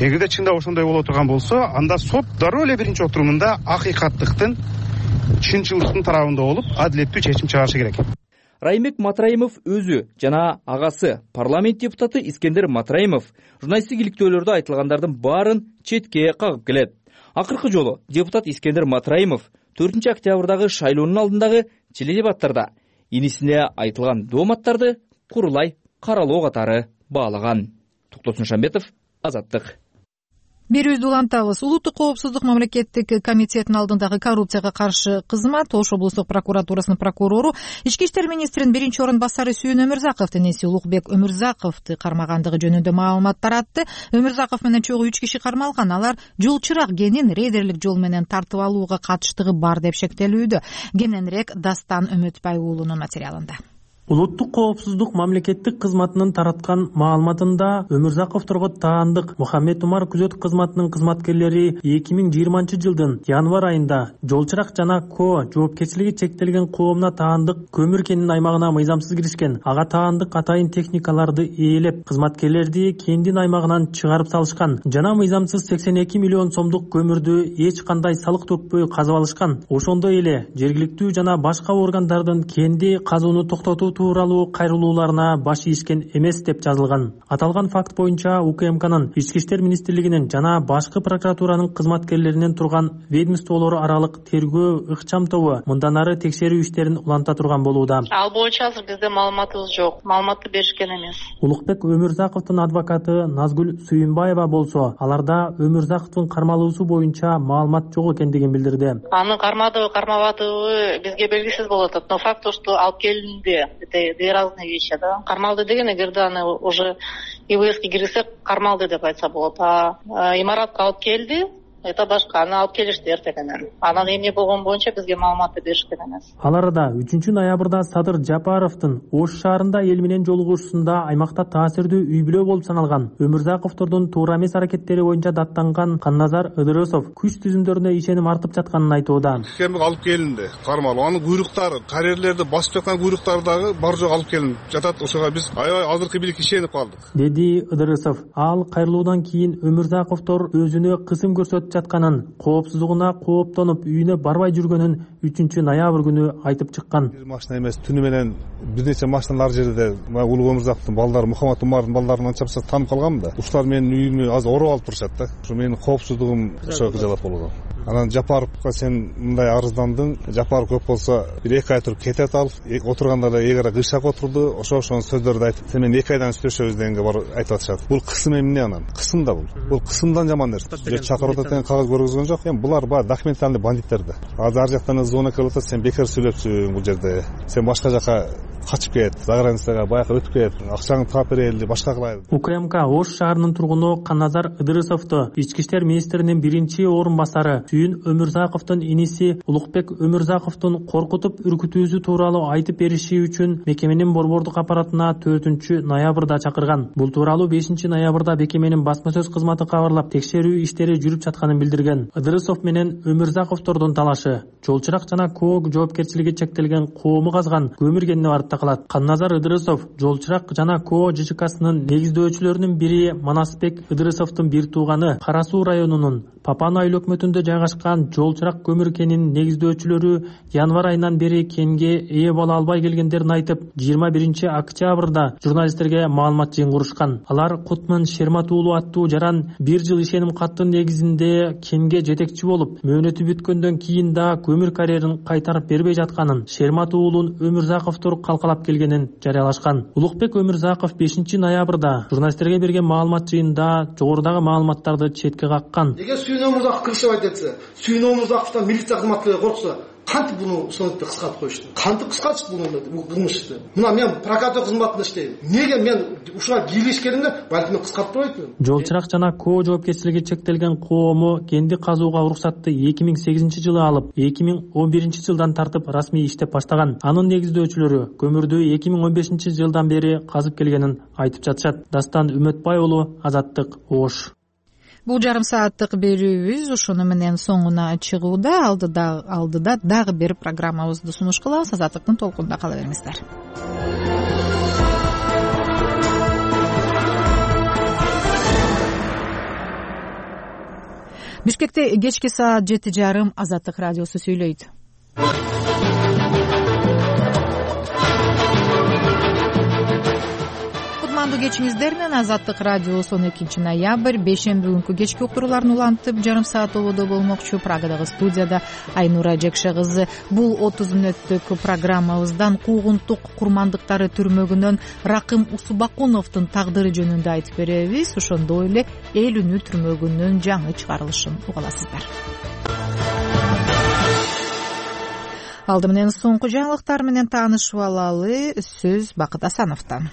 Эгерде чындап ошондой боло турган болсо, анда сот дароо эле биринчи отурумунда акыйкаттыктын, чынчылдыктын тарабында болуп, адилеттүү чечим чыгарышы керек. Райымбек Матраимов өзү жана агасы парламент депутаты Искендер Матраимов журналисттик иликтөөлөрдө айтылгандардын баарын четке кагып келет. Акыркы жолу депутат Искендер Матраимов төртүнчү октябрдагы шайлоонун алдындагы теледебаттарда инисине айтылган дооматтарды курулай каралоо катары баалаган. Токтосун Шамбетов, Азаттык. Берүүбүздү улантабыз. Улуттук коопсуздук мамлекеттик комитетинин алдындагы коррупцияга каршы кызмат Ош облустук прокуратурасынын прокурору Ички иштер министринин биринчи орун басары Сүйүн Өмүрзаковдун эси Улукбек Өмүрзаковду кармагандыгы жөнүндө маалымат таратты. Өмүрзаков менен чогуу үч киши кармалган. Алар жол чырак генин рейдерлик жол менен тартып алууга катыштыгы бар деп шектелүүдө. Кененирээк Дастан Өмөтбай уулунун материалында. Улуттук коопсуздук мамлекеттик кызматынын тараткан маалыматында Өмүрзаковдорго таандык Мухаммед Умар күзөт кызматынын кызматкерлери эки миң жыйырманчы жылдын январь айында Жолчырак жана Ко жоопкерчилиги чектелген коомуна таандык көмүр кенинин аймагына мыйзамсыз киришкен. Ага таандык атайын техникаларды ээлеп, кызматкерлерди кендин аймагынан чыгарып салышкан жана мыйзамсыз сексен эки миллион сомдук көмүрдү эч кандай салык төкпөй казып алышкан. Ошондой эле жергиликтүү жана башка органдардын кенди казууну токтотуу тууралуу кайрылууларына баш ийишкен эмес деп жазылган. Аталган факт боюнча УКМКнын, Ички иштер министрлигинин жана башкы прокуратуранын кызматкерлеринен турган ведомстволору аралык тергөө ыкчам тобу мындан ары текшерүү иштерин уланта турган болууда. Ал боюнча азыр бизде маалыматыбыз жок. Маалыматты беришкен эмес. Улукбек Өмүрзаковдун адвокаты Назгүл Сүйүнбаева болсо, аларда Өмүрзаковдун кармалуусу боюнча маалымат жок экендигин билдирди. Аны кармадыбы, кармабадыбы бизге белгисиз болуп атат. Но факт то, что алып келинди. Это две разные вещи, да. Кармалды деген эгерде аны уже ИВСке киргизсек кармалды деп айтса болот. А имаратка алып келди, это башка. Аны алып келишти эртеңинен. Анан эмне болгон боюнча бизге маалыматты беришкен эмес. Ал арада үчүнчү ноябрда Садыр Жапаровдун Ош шаарында эл менен жолугушуусунда аймакта таасирдүү үй бүлө болуп саналган Өмүрзаковдордун туура эмес аракеттери боюнча даттанган Канназар Ыдырысов күч түзүмдөрүнө ишеним артып жатканын айтууда. Кемик алып келинди, кармалуу. Анын куйруктары, карьерлерди басып жаткан куйруктары дагы бар жок алып келинип жатат. Ошого биз аябай азыркы бийликке ишенип калдык, деди Ыдырысов. Ал кайрылуудан кийин Өмүрзаковдор өзүнө кысым көрсөтүп жатканын, коопсуздугуна кооптонуп үйүнө барбай жүргөнүн үчүнчү ноябрь күнү айтып чыккан. Бир машина эмес, түнү менен бир нече машиналар жерде Улук Өмүрзаковдун балдары, Мухаммад Умардын балдарын анча мынча таанып калганмын да. Ушулар менин үйүмдү азыр ороп алып турушат да. Ушу менин коопсуздугум ошого кыжалат болууда. Анан Жапаровго сен мындай арыздандың, Жапаров көп болсо бир эки ай туруп кетет ал. Отургандарда эгер кыйшак отурду, ошо ошонун сөздөрдү айтып, сен менен эки айдан сүйлөшөбүз дегенге бар айтып атышат. Бул кысым эмне анан? Кысым да бул. Бул кысымдан жаман нерсе. Же чакырып атат деген кагаз көргөзгөн жок. Эми булар баягы документальный бандиттер да. Азыр ар жактан звонок келип атат, сен бекер сүйлөпсүң бул жерде. Сен башка жака качып кет, за границага баягы өтүп кет, акчаңды таап берели, башка кылайлы. УКМК Ош шаарынын тургуну Канназар Ыдырысовду Ички иштер министринин биринчи орун басары Сүйүн Өмүрзаковдун иниси Улукбек Өмүрзаковдун коркутуп үркүтүүсү тууралуу айтып бериши үчүн мекеменин борбордук аппаратына төртүнчү ноябрда чакырган. Бул тууралуу бешинчи ноябрда мекеменин басма сөз кызматы кабарлап, текшерүү иштери жүрүп жатканын билдирген. Ыдырысов менен Өмүрзаковдордун талашы Жолчырак жана Ко жоопкерчилиги чектелген коому казган көмүр кенини барып калат. Канназар Ыдырысов Жолчырак жана Ко ЖЧКсынын негиздөөчүлөрүнүн бири Манасбек Ыдырысовдун бир тууганы Кара Суу районунун Папуа айыл өкмөтүндө жайгашкан жол чырак көмүр кенинин негиздөөчүлөрү январь айынан бери кенге ээ боло албай келгендерин айтып, жыйырма биринчи октябрда журналисттерге маалымат жыйын курушкан. Алар Кутман Шермат уулу аттуу жаран бир жыл ишеним каттын негизинде кенге жетекчи болуп, мөөнөтү бүткөндөн кийин да көмүр карьерин кайтарып бербей жатканын, Шермат уулун Өмүрзаковдор калкалап келгенин жарыялашкан. Улукбек Өмүрзаков бешинчи ноябрда журналисттерге берген маалымат жыйында жогорудагы маалыматтарды четке каккан. Эгер Сүйүн Өмүрзаков кыргызча айтса, Сүйүн Өмүрзаковдон милиция кызматкерлери корксо, кантип буну сонетти кыскартып коюшту? Кантип кыскартышты буну кылмышты? Мына мен прокуратура кызматында иштейм. Неге мен ушуга кийлешкенимде балким кыскартпайт элем? Жол чырак жана КОО жоопкерчилиги чектелген коому кенди казууга уруксатты эки миң сегизинчи жылы алып, эки миң он биринчи жылдан тартып расмий иштеп баштаган. Анын негиздөөчүлөрү көмүрдү эки миң он бешинчи жылдан бери казып келгенин айтып жатышат. Дастан Үмөтбай уулу, Азаттык, Ош. Бул жарым сааттык берүүбүз ушуну менен соңуна чыгууда. Алдыда алдыда дагы бир программабызды сунуш кылабыз. Азаттыктын толкунунда кала бериңиздер. Бишкекте кечки саат жети жарым Азаттык радиосу сүйлөйт. Кутмандуу кечиңиздер менен Азаттык радиосу он экинчи ноябрь бейшемби күнкү кечки уктурууларын улантып жарым саат ободо болмокчу. Прагадагы студияда Айнура Жекше кызы. Бул отуз мүнөттүк программабыздан куугунтук курмандыктары түрмөгүнөн Ракым Усубакуновдун тагдыры жөнүндө айтып беребиз. Ошондой эле эл үнү түрмөгүнүн жаңы чыгарылышын угаласыздар. Алды менен соңку жаңылыктар менен таанышып алалы. Сөз Бакыт Асановдон.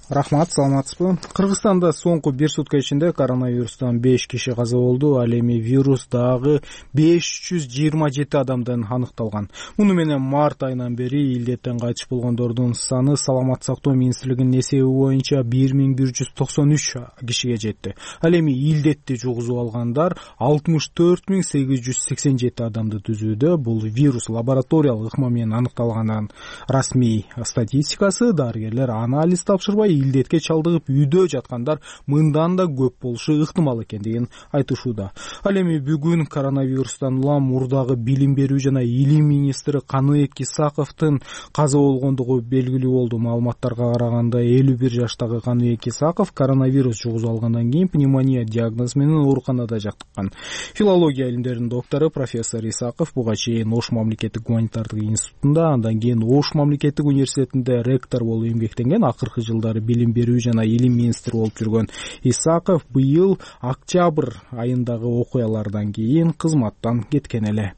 Рахмат, саламатсызбы? Кыргызстанда соңку бир сутка ичинде коронавирустан беш киши каза болду. Ал эми вирус дагы беш жүз жыйырма жети адамдан аныкталган. Муну менен март айынан бери илдеттен кайтыш болгондордун саны Саламат сактоо министрлигинин эсеби боюнча бир миң бир жүз токсон үч кишиге жетти. Ал эми илдетти жугузуп алгандар алтымыш төрт миң сегиз жүз сексен жети адамды түзүүдө. Бул вирус лабораториялык ыкма менен аныкталганын расмий статистикасы. Дарыгерлер анализ тапшырбай илдетке чалдыгып үйдө жаткандар мындан да көп болушу ыктымал экендигин айтышууда. Ал эми бүгүн коронавирустан улам мурдагы билим берүү жана илим министри Каныбек Исаковдун каза болгондугу белгилүү болду. Маалыматтарга караганда элүү бир жаштагы Каныбек Исаков коронавирус жугузуп алгандан кийин пневмония диагнозу менен ооруканада жаттыккан. Филология илимдеринин доктору профессор Исаков буга чейин Ош мамлекеттик гуманитардык институтунда, андан кийин Ош мамлекеттик университетинде ректор болуп эмгектенген. Акыркы жылдары билим берүү жана илим министри болуп жүргөн Исаков быйыл октябрь айындагы окуялардан кийин кызматтан кеткен эле.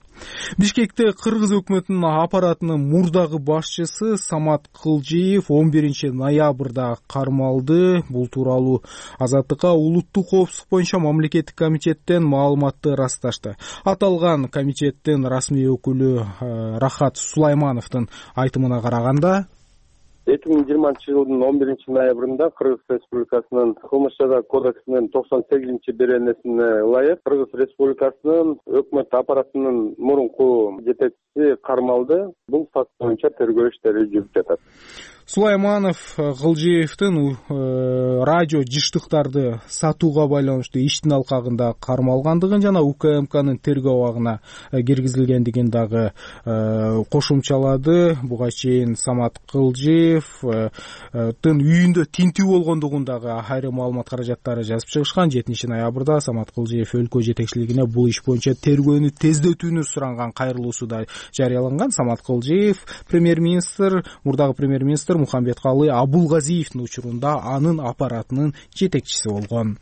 Бишкекте Кыргыз өкмөтүнүн аппаратынын мурдагы башчысы Самат Кылжиев он биринчи ноябрда кармалды. Бул тууралуу Азаттыкка улуттук коопсуздук боюнча мамлекеттик комитеттен маалыматты расташты. Аталган комитеттин расмий өкүлү Рахат Сулаймановдун айтымына караганда, эки миң жыйырманчы жылдын он биринчи ноябрында Кыргыз Республикасынын кылмыш жаза кодексинин токсон сегизинчи беренесине ылайык Кыргыз Республикасынын өкмөт аппаратынын мурунку жетекчиси кармалды. Бул факт боюнча тергөө иштери жүрүп жатат. Сулайманов Кылжиевдин радио жыштыктарды сатууга байланыштуу иштин алкагында кармалгандыгын жана УКМКнын тергөө абагына киргизилгендигин дагы кошумчалады. Буга чейин Самат Кылжиевдин үйүндө тинтүү болгондугун дагы айрым маалымат каражаттары жазып чыгышкан. жетинчи ноябрда Самат Кылжиев өлкө жетекчилигине бул иш боюнча тергөөнү тездетүүнү суранган кайрылуусу да жарыяланган. Самат Кылжиев премьер-министр, мурдагы премьер-министр Мухамбеткалы Абулгазиевдин учурунда анын аппаратынын жетекчиси болгон.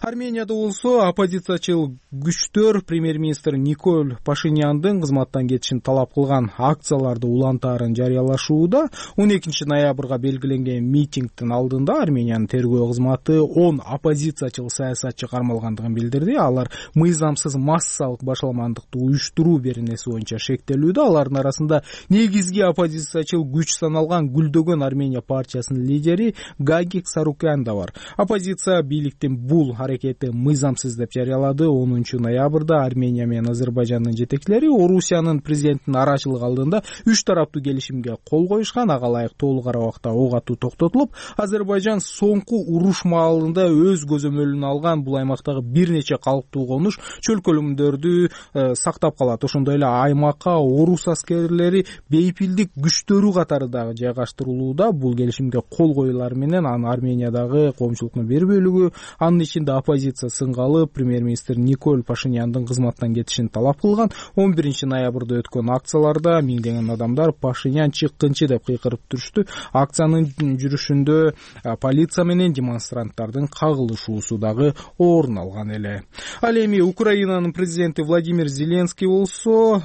Арменияда болсо оппозициячыл күчтөр премьер-министр Николь Пашиняндын кызматтан кетишин талап кылган акцияларды улантаарын жарыялашууда. он экинчи ноябрга белгиленген митингдин алдында Армениянын тергөө кызматы он оппозициячыл саясатчы кармалгандыгын билдирди. Алар мыйзамсыз массалык башаламандыкты уюштуруу беренеси боюнча шектелүүдө. Алардын арасында негизги оппозициячыл күч саналган Гүлдөгөн Оңдон Армения партиясынын лидери Гагик Сарукян да бар. Оппозиция бийликтин бул аракети мыйзамсыз деп жарыялады. онунчу ноябрда Армения менен Азербайжандын жетекчилери Орусиянын президентинин арачылыгы алдында үч тараптуу келишимге кол коюшкан. Ага ылайык толук арабакта ок атуу токтотулуп, Азербайжан соңку уруш маалында өз көзөмөлүнө алган бул аймактагы бир нече калктуу конуш чөлкөлөмдөрдү э, сактап калат. Ошондой эле аймакка орус аскерлери бейпилдик күчтөрү катары дагы жайгаштырылууда. Бул келишимге кол коюлар менен анын Армениядагы коомчулуктун бир бөлүгү, анын ичинде оппозиция сынгалы премьер-министр Николь Пашиняндын кызматтан кетишин талап кылган. он биринчи ноябрда өткөн акцияларда миңдеген адамдар Пашинян чыккынчы деп кыйкырып жүрүштү. Акциянын жүрүшүндө полиция менен демонстранттардын кагылышуусу дагы орун алган эле. Ал эми Украинанын президенти Владимир Зеленский болсо,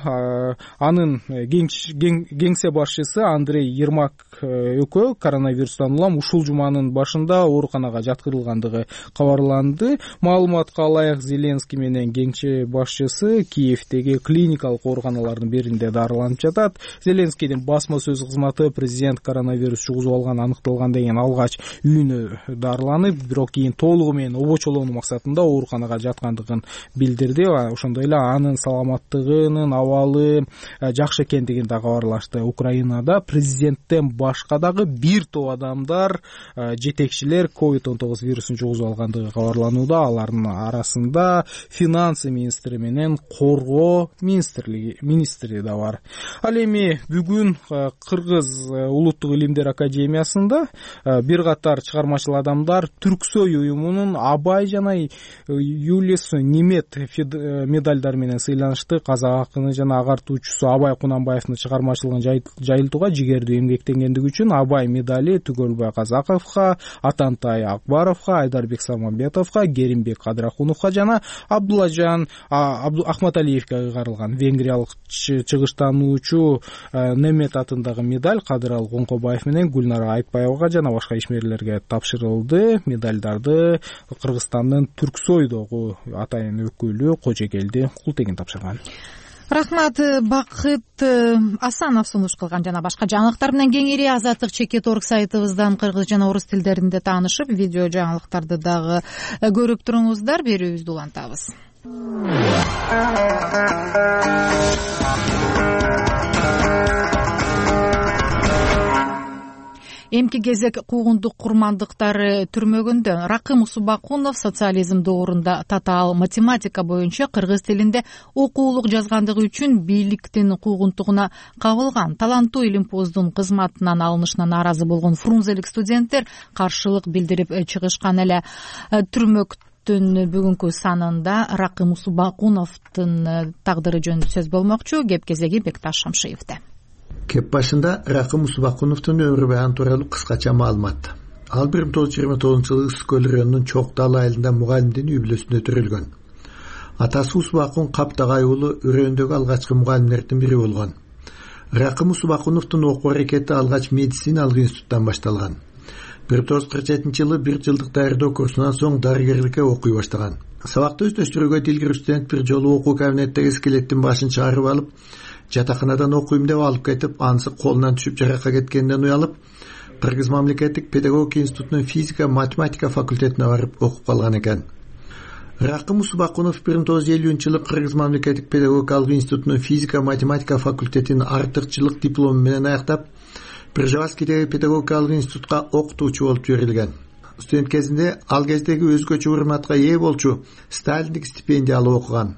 анын кеңсе башчысы Андрей Ермак экөө коронавирустан улам ушул жуманын башында ооруканага жаткырылгандыгы кабарланды. Маалыматка ылайык Зеленский менен кеңсе башчысы Киевдеги клиникалык ооруканалардын биринде дарыланып жатат. Зеленскийдин басма сөз кызматы президент коронавирус жугузуп алган аныкталгандан кийин алгач үйүнө дарыланып, бирок кийин толугу менен обочолонуу максатында ооруканага жаткандыгын билдирди. Ошондой эле анын саламаттыгынын абалы жакшы экендигин да кабарлашты. Украинада президенттен башка дагы бир топ адамдар, жетекчилер ковид он тогуз вирусун жугузуп алгандыгы кабарланууда. Алардын арасында финансы министри менен коргоо министри да бар. Ал эми бүгүн Кыргыз улуттук илимдер академиясында бир катар чыгармачыл адамдар Түрксой уюмунун Абай жана Юлис Немет медалдар менен сыйланышты. Казак акыны жана агартуучусу Абай Кунанбаевдин чыгармачылыгын жайылтууга жигердүү эмгектенгендиги үчүн Абай медали Түгөлбай Казаковго, Атантай Акбаровго, Айдарбек Самамбетовго, Керимбек Кадрахуновго жана Абдулажан Ахматалиевге ыйгарылган. Венгриялык чыгыштануучу Немет атындагы медаль Кадырал Коңкобаев менен Гүлнара Айтбаевага жана башка ишмерлерге тапшырылды. Медальдарды Кыргызстандын Түрксойдогу атайын өкүлү Кожекелди Култегин тапшырган. Рахмат, Бакыт Асанов сунуш кылган жана башка жаңылыктар менен кеңири Азаттык чекит орг сайтыбыздан кыргыз жана орус тилдеринде таанышып, видео жаңылыктарды дагы көрүп туруңуздар. Берүүбүздү улантабыз. Эмки кезек куугундук курмандыктары түрмөгүндө Ракым Субакунов социализм доорунда татаал математика боюнча кыргыз тилинде окуулук жазгандыгы үчүн бийликтин куугунтугуна кабылган. Таланттуу илимпоздун кызматынан алынышына нааразы болгон фрунзелик студенттер каршылык билдирип чыгышкан эле. Түрмөктүн бүгүнкү санында Ракым Субакуновдун тагдыры жөнүндө сөз болмокчу. Кеп кезеги Бекташ Шамшиевде. Кеп башында Ракым Субакуновдун өмүрү баягы тууралуу кыскача маалымат. Ал бир миң тогуз жүз жыйырма тогузунчу жылы Ысык көл районунун Чок Дал айылында мугалимдин үй бүлөсүндө төрөлгөн. Атасы Субакун Каптагай уулу өрөөндөгү алгачкы мугалимдердин бири болгон. Ракым Субакуновдун окуу аракети алгач медициналык институттан башталган. бир миң тогуз жүз кырк жетинчи жылы бир жылдык даярдоо курсунан соң дарыгерликке окуй баштаган. Сабакты өздөштүрүүгө дилгир студент бир жолу окуу кабинеттеги скелеттин башын чыгарып алып, жатаканадан окуйм деп алып кетип, анысы колунан түшүп жаракка кеткенден уялып, Кыргыз мамлекеттик педагогика институтунун физика математика факультетине барып окуп калган экен. Ракым Субакунов бир миң тогуз жүз элүүнчү жылы Кыргыз мамлекеттик педагогикалык институтунун физика математика факультетинин артыкчылык диплому менен аяктап, Пржевальскийдеги педагогикалык институтка окутуучу болуп жиберилген. Студент кезинде ал кездеги өзгөчө урматка ээ болчу Сталиндик стипендия алып окуган.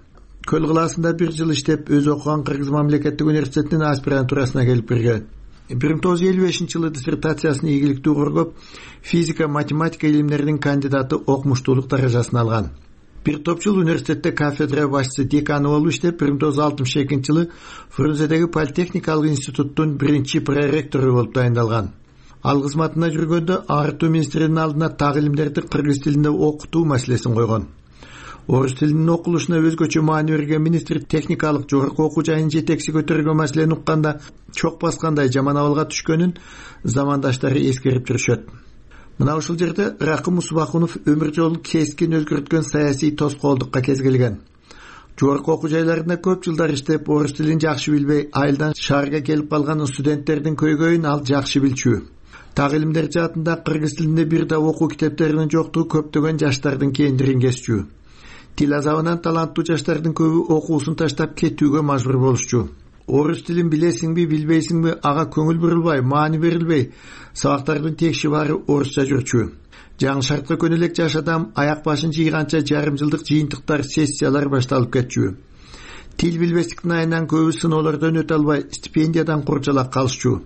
Көл кылаасында бир жыл иштеп, өз окуган Кыргыз мамлекеттик университетинин аспирантурасына келип кирген. бир миң тогуз жүз элүү бешинчи жылы диссертациясын ийгиликтүү коргоп, физика математика илимдеринин кандидаты окумуштуулук даражасын алган. Бир топ жыл университетте кафедра башчысы деканы болуп иштеп, бир миң тогуз жүз алтымыш экинчи жылы Фрунзедеги политехникалык институттун биринчи проректору болуп дайындалган. Ал кызматына жүргөндө Агартуу министринин алдына так илимдерди кыргыз тилинде окутуу маселесин койгон. Орус тилинин окулушуна өзгөчө маани берген министр техникалык жогорку окуу жайынын жетекчи көтөргөн маселени укканда чок баскандай жаман абалга түшкөнүн замандаштары эскерип жүрүшөт. Мына ушул жерде Ракым Субакунов өмүр жолун кескин өзгөрткөн саясий тоскоолдукка кезгелген. Жогорку окуу жайларында көп жылдар иштеп, орус тилин жакшы билбей, айылдан шаарга келип калган студенттердин көйгөйүн ал жакшы билчү. Так илимдер жаатында кыргыз тилинде бир да окуу китептеринин жоктугу көптөгөн жаштардын кээндирин кесчү. Тил азабынан таланттуу жаштардын көбү окуусун таштап кетүүгө мажбур болушчу. Орус тилин билесиңби, билбейсиңби, ага көңүл бурулбай, маани берилбей, сабактардын текши баары орусча жүрчү. Жаңы шартка көнө элек жаш адам аяк башын жыйганча жарым жылдык жыйынтыктар, сессиялар башталып кетчү. Тил билбестиктин айынан көбү сыноолордон өтө албай, стипендиядан курчалак калышчу.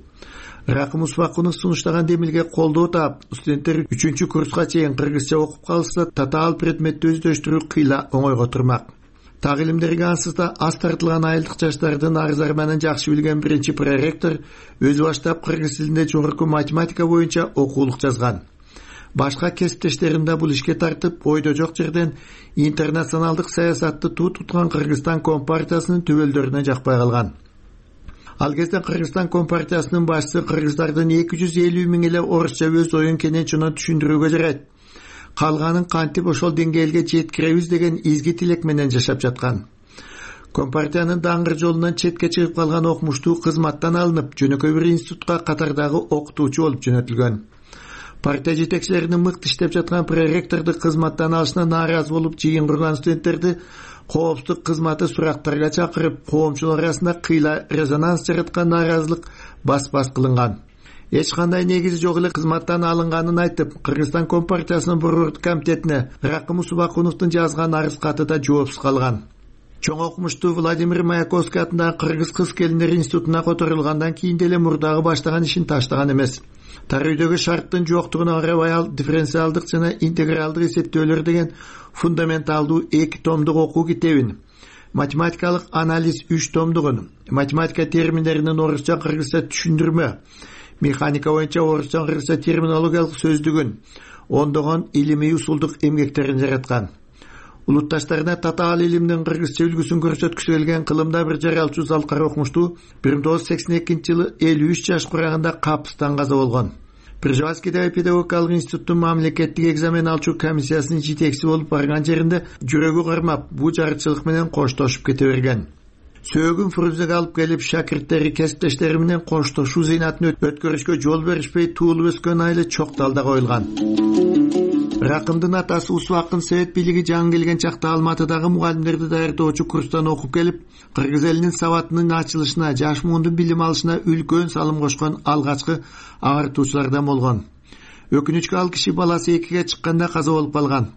Ракым Усмакунов сунуштаган демилге колдоо таап, студенттер үчүнчү курска чейин кыргызча окуп калса, татаал предметти өздөштүрүү кыйла оңойго турмак. Так илимдерге ансыз да аз тартылган айылдык жаштардын арыз арманын жакшы билген биринчи проректор өзү баштап кыргыз тилинде жогорку математика боюнча окуулук жазган. Башка кесиптештерин да бул ишке тартып, ойдо жок жерден интернационалдык саясатты туу туткан Кыргызстан Компартиясынын төбөлдөрүнө жакпай калган. Ал кезде Кыргызстан Компартиясынын башчысы кыргыздардын эки жүз элүү миң эле орусча өз оюн кенен чоно түшүндүрүүгө жарайт. Калганын кантип ошол деңгээлге жеткиребиз деген изги тилек менен жашап жаткан. Компартиянын даңгыр жолунан четке чыгып калган окумуштуу кызматтан алынып, жөнөкөй бир институтка катардагы окутуучу болуп жөнөтүлгөн. Партия жетекчилеринин мыкты иштеп жаткан проректорду кызматтан алышына нааразы болуп жыйын курган студенттерди коопсуздук кызматы сурактарга чакырып, коомчулар арасында кыйла резонанс жараткан нааразылык бас-бас кылынган. Эч кандай негизи жок эле кызматтан алынганын айтып, Кыргызстан Компартиясынын борбордук комитетине Ракым Усмакуновдун жазган арыз каты да жоопсуз калган. Чоң окумуштуу Владимир Маяковский атындагы Кыргыз кыз-келиндер институтуна которулгандан кийин деле мурдагы баштаган ишин таштаган эмес. Тар үйдөгү шарттын жоктугуна карабай ал дифференциалдык жана интегралдык эсептөөлөр деген фундаменталдуу эки томдук окуу китебин, математикалык анализ үч томдугун, математика терминдеринин орусча кыргызча түшүндүрмө, механика боюнча орусча кыргызча терминологиялык сөздүгүн, ондогон илимий усулдук эмгектерин жараткан. Улутташтарына татаал илимдин кыргызча үлгүсүн көрсөткүсү келген кылымда бир жаралчу Залкар окумуштуу бир миң тогуз жүз сексен экинчи жылы элүү үч жаш кураганда капыстан каза болгон. Пржевальскийдеги педагогикалык институттун мамлекеттик экзамен алчу комиссиясынын жетекчиси болуп барган жеринде жүрөгү кармап, бул жарычылык менен коштошуп кете берген. Сөөгүн Фрунзеге алып келип, шакирттери, кесиптештери менен коштошуу зыйнатын өткөрүшкө жол беришпей туулуп өскөн айылы чок далда коюлган. Ракымдын атасы Усубакын совет бийлиги жаңы келген чакта Алматыдагы мугалимдерди даярдоочу курстан окуп келип, кыргыз элинин сабатынын ачылышына, жаш муундун билим алышына үлкөн салым кошкон алгачкы агартуучулардан болгон. Өкүнүчкө ал киши баласы экиге чыкканда каза болуп калган.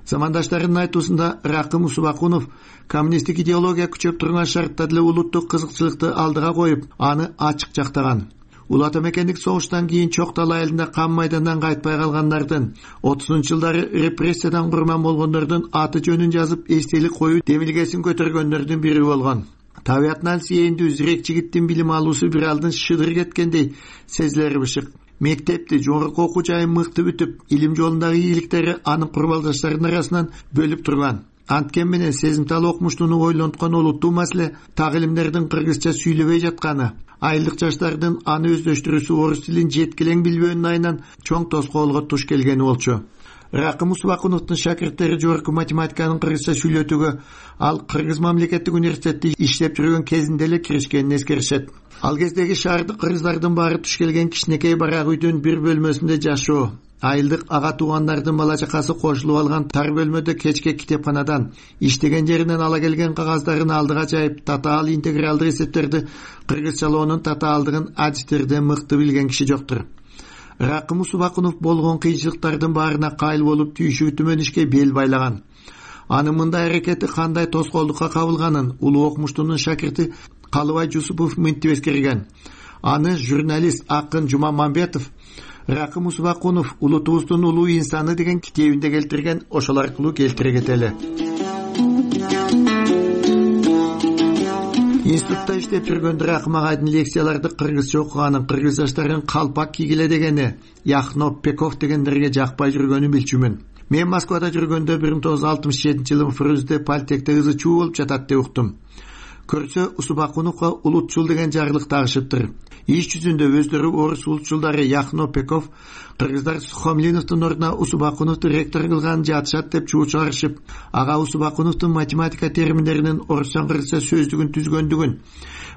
Замандаштарынын айтуусунда Ракым Усубакунов коммунисттик идеология күчөп турган шартта деле улуттук кызыкчылыкты алдыга коюп, аны ачык жактаган. Улуу ата мекендик согуштан кийин Чок Дал айылында кан майдандан кайтпай калгандардын, отузунчу жылдары репрессиядан курман болгондордун аты жөнүн жазып эстелик коюу демилгесин көтөргөндөрдүн бири болгон. Табиятынан сээндүү зирек жигиттин билим алуусу бир алдын шыдыр кеткендей сезилери бышык. Мектепти, жогорку окуу жайын мыкты бүтүп, илим жолундагы ийгиликтери анын курбалдаштарынын арасынан бөлүп турган. Анткен менен сезимтал окумуштууну ойлонткон олуттуу маселе так илимдердин кыргызча сүйлөбөй жатканы, айылдык жаштардын аны өздөштүрүүсү орус тилин жеткилең билбөөнүн айынан чоң тоскоолго туш келгени болчу. Ракым Усмакуновдун шакирттери жогорку математиканын кыргызча сүйлөтүүгө ал Кыргыз мамлекеттик университетте иштеп жүргөн кезинде эле киришкенин эскеришет. Ал кездеги шаардык кыргыздардын баары туш келген кичинекей барак үйдүн бир бөлмөсүндө жашоо, айылдык ага туугандардын бала чакасы кошулуп алган тар бөлмөдө кечке китепканадан иштеген жеринен ала келген кагаздарын алдыга жайып, татаал интегралдык эсептерди кыргызчалоонун татаалдыгын адистерден мыкты билген киши жоктур. Ракым Усубакунов болгон кыйынчылыктардын баарына кайыл болуп, түйшүгү түмөн ишке бел байлаган. Анын мындай аракети кандай тоскоолдукка кабылганын улуу окумуштуунун шакирти Калыбай Жусупов мынтип эскерген. Аны журналист Акын Жумамамбетов Ракым Усубакунов улутубуздун улуу инсаны деген китебинде келтирген, ошол аркылуу келтире кетели. Институтта иштеп жүргөндө Ракым агайдын лекцияларды кыргызча окуганын, кыргыз жаштарын калпак кийгиле дегени, Яхно Пеков дегендерге жакпай жүргөнүн билчүмүн. Мен Москвада жүргөндө бир миң тогуз жүз алтымыш жетинчи жылы Фрунзе политехте ызы чуу болуп жатат деп уктум. Көрсө Усубакуновго улутчул деген жарлык тагышыптыр. Иш жүзүндө өздөрү орус улутчулдары Яхно Пеков кыргыздар Сухомлиновдун ордуна Усубакуновду ректор кылганын жатышат деп чуу чыгарышып, ага Усубакуновдун математика терминдеринин орусча кыргызча сөздүгүн түзгөндүгүн,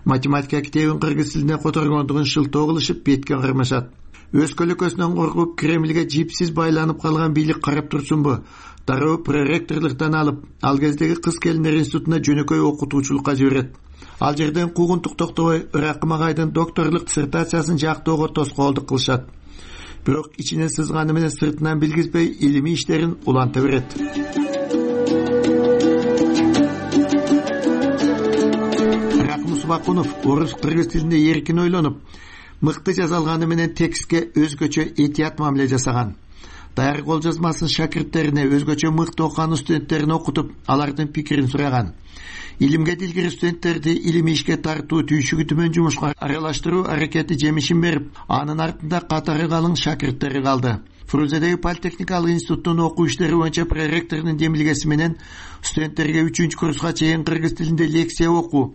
математика китебин кыргыз тилине которгондугун шылтоо кылышып бетке кармашат. өз көлөкөсүнөн коркуп Кремльге жипсиз байланып калган бийлик карап турсунбу? Дароо проректорлуктан алып, ал кездеги кыз келиндер институтуна жөнөкөй окутуучулукка жиберет. Ал жерден куугунтук токтобой Ракым агайдын докторлук диссертациясын жактоого тоскоолдук кылышат. Бирок ичине сызганы менен сыртынан билгизбей илимий иштерин уланта берет. Ракым Усубакунов орус кыргыз тилинде эркин ойлонуп, мыкты жазалганы менен текстке өзгөчө этият мамиле жасаган. Даяр кол жазмасын шакирттерине өзгөчө мыкты окуган студенттерине окутуп, алардын пикирин сураган. Илимге дилгир студенттерди илимий ишке тартуу, түйшүгү төмөн жумушка аралаштыруу аракети жемишин берип, анын артында катары калың шакирттери калды. Фрунзедеги политехникалык институттун окуу иштери боюнча проректорунун демилгеси менен студенттерге үчүнчү курска чейин кыргыз тилинде лекция окуу,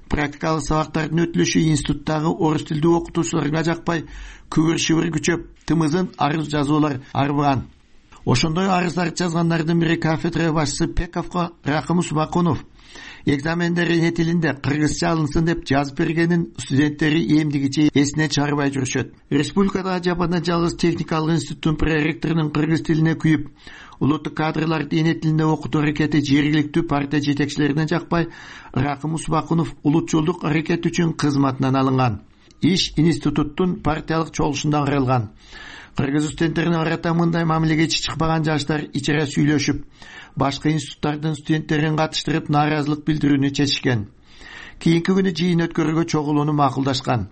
практикалык сабактардын өтүлүшү институттагы орус тилдүү окутуучуларга жакпай, күбүр-шыбыр күчөп, тымызын арыз жазуулар арбыган. Ошондой арыздарды жазгандардын бири кафедра башчысы Пековго Ракым Усубакунов экзамендер эне тилинде кыргызча алынсын деп жазып бергенин студенттери эмдигиче эсинен чыгарбай жүрүшөт. Республикада жападан жалгыз техникалык институттун проректорунун кыргыз тилине күйүп, улуттук кадрларды эне тилинде окутуу аракети жергиликтүү партия жетекчилерине жакпай, Ракым Усубакунов улутчулдук аракет үчүн кызматынан алынган. Иш институттун партиялык чогулушунда кырылган. Кыргыз студенттерине карата мындай мамилеге чыкпаган жаштар ичере сүйлөшүп, башка институттардын студенттерин катыштырып нааразылык билдирүүнү чечишкен. Кийинки күнү жыйын өткөрүүгө чогулууну макулдашкан.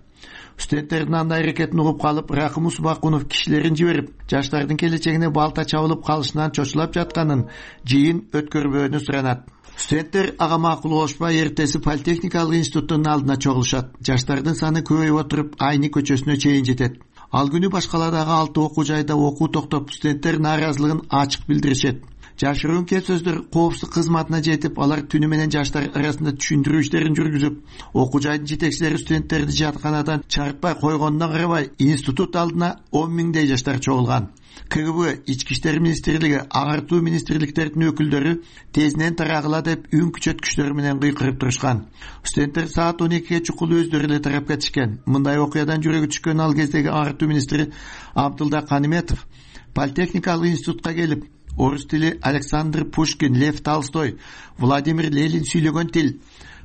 Студенттердин андай аракетин угуп калып, Ракым Усубакунов кишилерин жиберип, жаштардын келечегине балта чабылып калышынан чочулап жатканын жыйын өткөрбөөнү суранат. Студенттер ага макул болушпай эртеси политехникалык институттун алдына чогулушат. Жаштардын саны көбөйүп отуруп, Айны көчөсүнө чейин жетет. Ал күнү башкаладагы алты окуу жайда окуу токтоп, студенттер нааразылыгын ачык билдиришет. Жашыруун кеп сөздөр коопсуздук кызматына жетип, алар түнү менен жаштар арасында түшүндүрүү иштерин жүргүзүп, окуу жайдын жетекчилери студенттерди жатканадан чарпай койгонуна карабай, институт алдына он миңдей жаштар чогулган. КГБ, Ички иштер министрлиги, агартуу министрликтердин өкүлдөрү тезинен тарагыла деп үн күчөткүчтөр менен кыйкырып турушкан. Студенттер саат он экиге чукул өздөрү эле тарап кетишкен. Мындай окуядан жүрөгү түшкөн ал кездеги агартуу министри Абдылда Каниметов политехникалык институтка келип, орус тили Александр Пушкин, Лев Толстой, Владимир Ленин сүйлөгөн тил,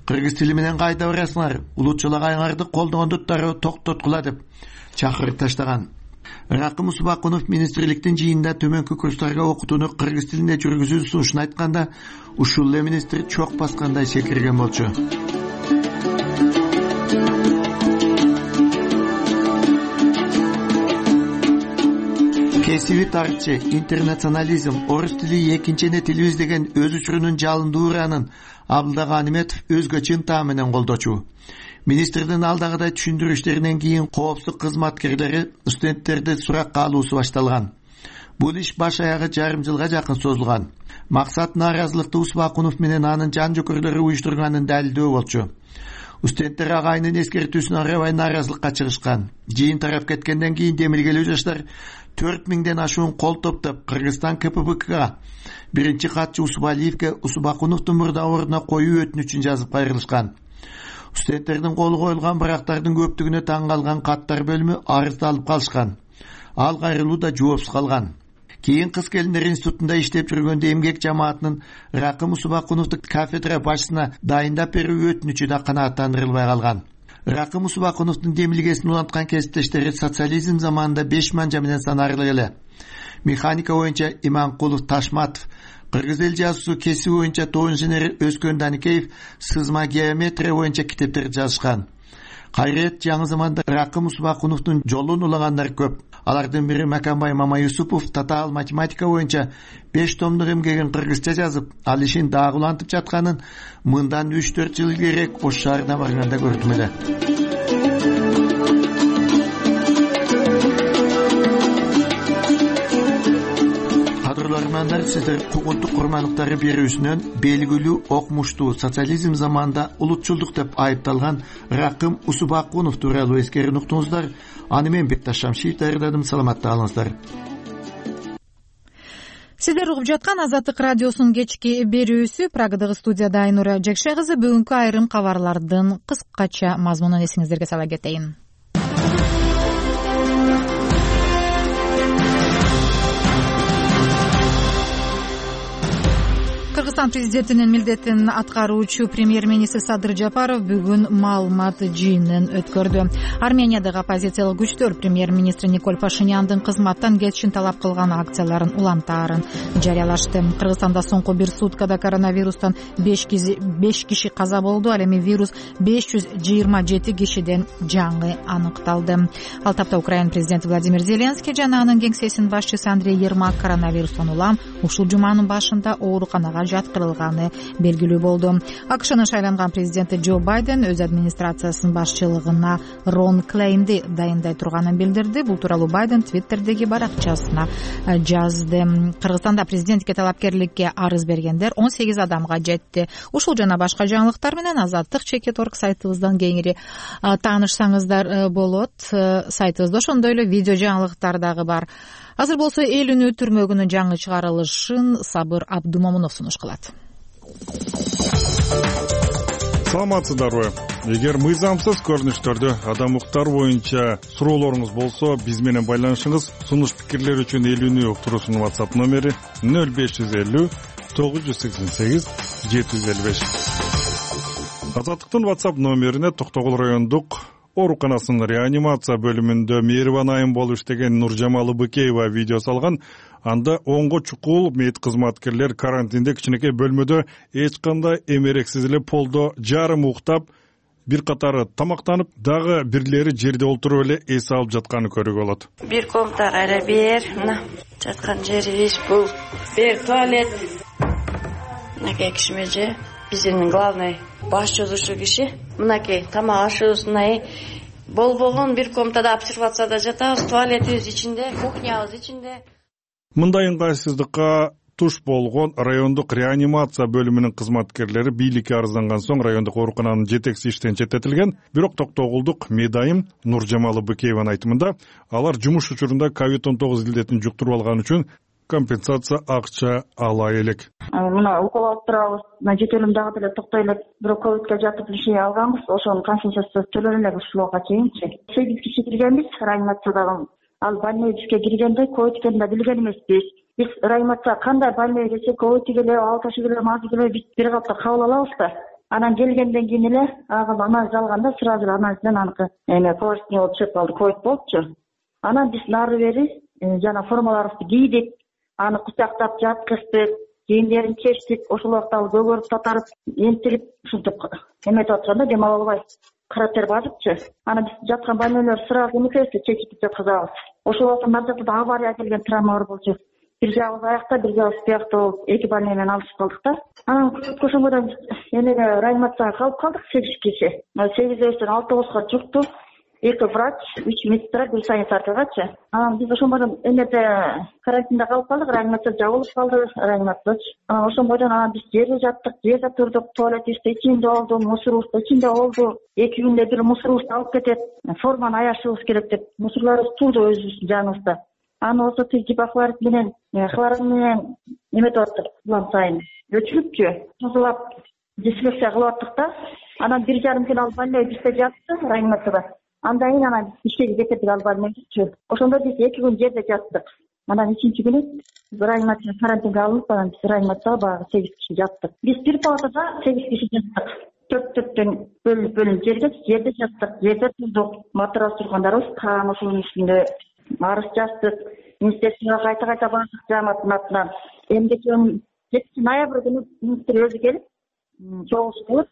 кыргыз тили менен кайда барасыңар, улутчул агайыңарды колдогондуктары токтоткула деп чакырып таштаган. Ракым Усубакунов министрликтин жыйында төмөнкү курстарга окутууну кыргыз тилинде жүргүзүүнү сунушун айтканда, ушул эле министр чок баскандай секирген болчу. Кесиби тарчы, интернационализм, орус тили экинчи эне тилибиз деген өз учурунун жалындуу уранын Абдылда Каниметов өзгөчө ынтаа менен колдочу. Министрдин алдагыдай түшүндүрүү иштеринен кийин коопсуздук кызматкерлери студенттерди суракка алуусу башталган. Бул иш баш аягы жарым жылга жакын созулган. Максат нааразылыкты Усубакунов менен анын жан жокөрлөрү уюштурганын далилдөө болчу. Студенттер агайынын эскертүүсүнө карабай нааразылыкка чыгышкан. Жыйын тарап кеткенден кийин демилгелүү жаштар төрт миңден ашуун кол топтоп Кыргызстан КПБКга биринчи катчы Усубалиевге Усубакуновдун мурда ордуна коюу өтүнүчүн жазып кайрылышкан. Студенттердин колу коюлган барактардын көптүгүнө таң калган каттар бөлүмү арызды алып калышкан. Ал кайрылуу да жоопсуз калган. Кийин кыз келиндер институтунда иштеп жүргөндө эмгек жамаатынын Ракым Усубакуновду кафедра башчысына дайындап берүү өтүнүчү да канааттандырылбай калган. Ракым Усубакуновдун демилгесин уланткан кесиптештери социализм заманында беш манжа менен санарлык эле. Механика боюнча Иманкулов, Ташматов, кыргыз эл жазуусу кесиби боюнча тоғызынчы инженер Өскөн Даникеев сызма геометрия боюнча китептерди жазышкан. Кайрет жаңы заманда Ракым Усубакуновдун жолун улагандар көп. Алардын бири Маканбай Мамаюсупов татаал математика боюнча беш томдук эмгегин кыргызча жазып, ал ишин дагы улантып жатканын мындан үч төрт жыл илгерээк Ош шаарына барганда көрдүм эле. Кадрлармандар, сиздер куугунтук курмандыктары берүүсүнөн белгилүү окмуштуу социализм заманында улутчулдук деп айыпталган Ракым Усубакунов тууралуу эскерин уктуңуздар. Аны мен Бекташ Шамшиев даярдадым. Саламатта калыңыздар. Сиздер угуп жаткан Азаттык радиосунун кечки берүүсү. Прагадагы студияда Айнура Жекше кызы. Бүгүнкү айрым кабарлардын кыскача мазмунун эсиңиздерге сала кетейин. Кыргызстан президентинин милдетин аткаруучу премьер-министр Садыр Жапаров бүгүн маалымат жыйынын өткөрдү. Армениядагы оппозициялык күчтөр премьер-министр Николь Пашиняндын кызматтан кетишин талап кылган акцияларын улантаарын жарыялашты. Кыргызстанда соңку бир суткада коронавирустан беш киши каза болду. Ал эми вирус беш жүз жыйырма жети кишиден жаңы аныкталды. Ал тапта Украина президенти Владимир Зеленский жана анын кеңсесинин башчысы Андрей Ермак коронавирустан улам ушул жуманын башында ооруканага жаткырылганы белгилүү болду. АКШнын шайланган президенти Джо Байден өз администрациясынын башчылыгына Рон Клейнди дайындай турганын билдирди. Бул тууралуу Байден Твиттердеги баракчасына жазды. Кыргызстанда президентке талапкерликке арыз бергендер он сегиз адамга жетти. Ушул жана башка жаңылыктар менен Азаттык чекит орг сайтыбыздан кеңири таанышсаңыздар болот. Сайтыбызда ошондой эле видео жаңылыктар дагы бар. Азыр болсо эл үнү түрмөгүнүн жаңы чыгарылышын Сабыр Абдумомунов сунуш кылат. Саламатсыздарбы? Эгер мыйзамсыз көрүнүштөрдү, адам укуктары боюнча суроолоруңуз болсо, биз менен байланышыңыз. Сунуш пикирлер үчүн эл үнү уктуруусунун WhatsApp номери нөл беш жүз элүү тогуз жүз сексен сегиз жети жүз элүү беш. Азаттыктын WhatsApp номерине Токтогул райондук ооруканасынын реанимация бөлүмүндө мээрибан айым болуп иштеген Нуржамал Быкеева видео салган. Анда онго чукул мед кызматкерлер карантинде кичинекей бөлмөдө эч кандай эмерексиз эле полдо жарым уктап, бир катары тамактанып, дагы бирлери жерде олтуруп эле эс алып жатканын көрүүгө болот. Бир комната кайра бер, мына жаткан жерибиз бул. Бер туалет. Мынакей кишмеже. Биздин главный баш жазуучу киши. Мынакей тамак ашуусунай болбогон бир комнатада обсервацияда жатабыз, туалетибиз ичинде, кухнябыз ичинде. Мындай ыңгайсыздыкка туш болгон райондук реанимация бөлүмүнүн кызматкерлери бийликке арызданган соң райондук оорукананын жетекчиси иштен четтетилген. Бирок Токтогулдук медайым Нуржамал Быкееванын айтымында алар жумуш учурунда ковид он тогуз илдетин жуктуруп алган үчүн компенсация акча ала элек. Мына укол алып турабыз, мына жетелим дагы деле токтой элек. Бирок ковидке жатып лиши алганбыз, ошонун компенсациясы төлөнө элек ушулга чейинчи. сегиз киши киргенбиз реанимациядагы. Ал больной бизге киргенде ковид экенин билген эмеспиз. Биз реанимация кандай больной келсе, ковид келе, ал ташы келе, мазы келе биз бир капта кабыл алабыз да. Анан келгенден кийин эле ага анализ алганда сразу анализден аныкы эме положительный болуп чыгып калды, ковид болчу. Анан биз нары бери жана формаларыбызды кийдик, аны кучактап жаткыздык, кийимдерин чечтик, ошол убакта ал көгөрүп татарып, энтилип ушинтип эметип атканда дем ала албай каратер базыпчы. Аны биз жаткан больнойлор сразу эмекебизди чечип жаткызабыз. Ошол убакта наржакта авария келген травма бар болчу. Бир жагыбыз аякта, бир жагыбыз биякта болуп, эки больной менен алышып калдык да. Анан ошондон эмеге реанимацияга калып калдык сегиз киши. сегизден алтыбызга жукту. Эки врач, үч медсестра, бир санитаркагачы. Анан биз ошондон эмеде карантинде калып калдык, реанимация жабылып калды, реанимациячы. Анан ошондон анан биз жерде жаттык, жерде турдук, туалетибизде ичинде болду, мусорубузда ичинде болду. Эки күндө бир мусорубузду алып кетет, форманы аяшыбыз керек деп мусорларыбыз турду өзүбүздүн жаныбызда. Аны болсо тиз гипохлорид менен, хлорид менен эметип аттык, улам сайын өчүрүпчү. Тазалап дезинфекция кылып аттык да. Анан бир жарым күн ал больной бизде жатты реанимацияда. Андан кийин анан ишке кетип албайчы. Ошондо биз эки күн жерде жаттык. Анан үчүнчү күнү реанимация карантинге алынып, анан биз реанимацияга багы сегиз киши жаттык. Биз бир палатада сегиз киши жаттык. Төрт төрттөн бөлүнүп бөлүнүп жерге жерде жаттык, жерде турдук. Матрас тургандарыбыз каан ошонун үстүндө арыз жаздык. Министерствого кайта кайта бардык жамааттын атынан. Эмгеки жетинчи ноябрь күнү министр өзү келип, чогулуш кылып,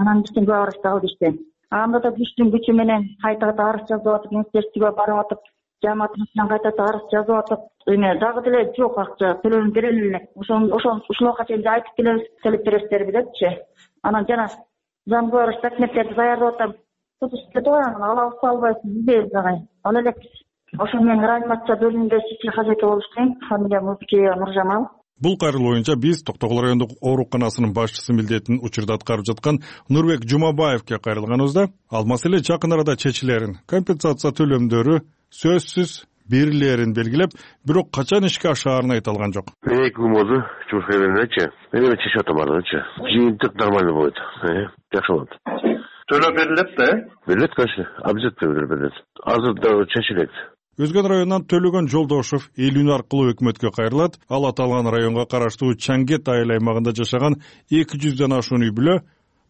анан биздин көп арызды алды иштен. Анда да күчтүн күчү менен кайта кайта арыз жазып атып, министерствого барып атып, жамааттан кайта кайта арыз жазып атып, эме дагы деле жок акча төлөнүп берели эле. Ошон ошон ушулга чейин айтып келебиз, төлөп бересиздерби депчи. Анан жана замгөр документтерди даярдап атам. Тутушту алабыз албайсыз дейбиз агай. Ал элек ошо менен реанимация бөлүмүндө сиси казаке болуп иштейм. Фамилиям Быкеева Нуржамал. Бул кайрылуу боюнча биз Токтогул райондук ооруканасынын башчысы милдетин учурда аткарып жаткан Нурбек Жумабаевке кайрылганыбызда ал маселе жакын арада чечилерин, компенсация төлөмдөрү сөзсүз берилерин белгилеп, бирок качан ишке ашаарын айта алган жок. Мен эки күн болду, жумушка келгендечи. Мен эми чечип атам ардачы. Жыйынтык нормально болот. Жакшы болот. Төлөп берилет да? Берилет, конечно. Обязательно берилет. Азыр да чечилет. Өзгөн районунан Төлөгөн Жолдошов эл үн аркылуу өкмөткө кайрылат. Ал аталган районго караштуу Чангет айыл аймагында жашаган эки жүздөн ашуун үй бүлө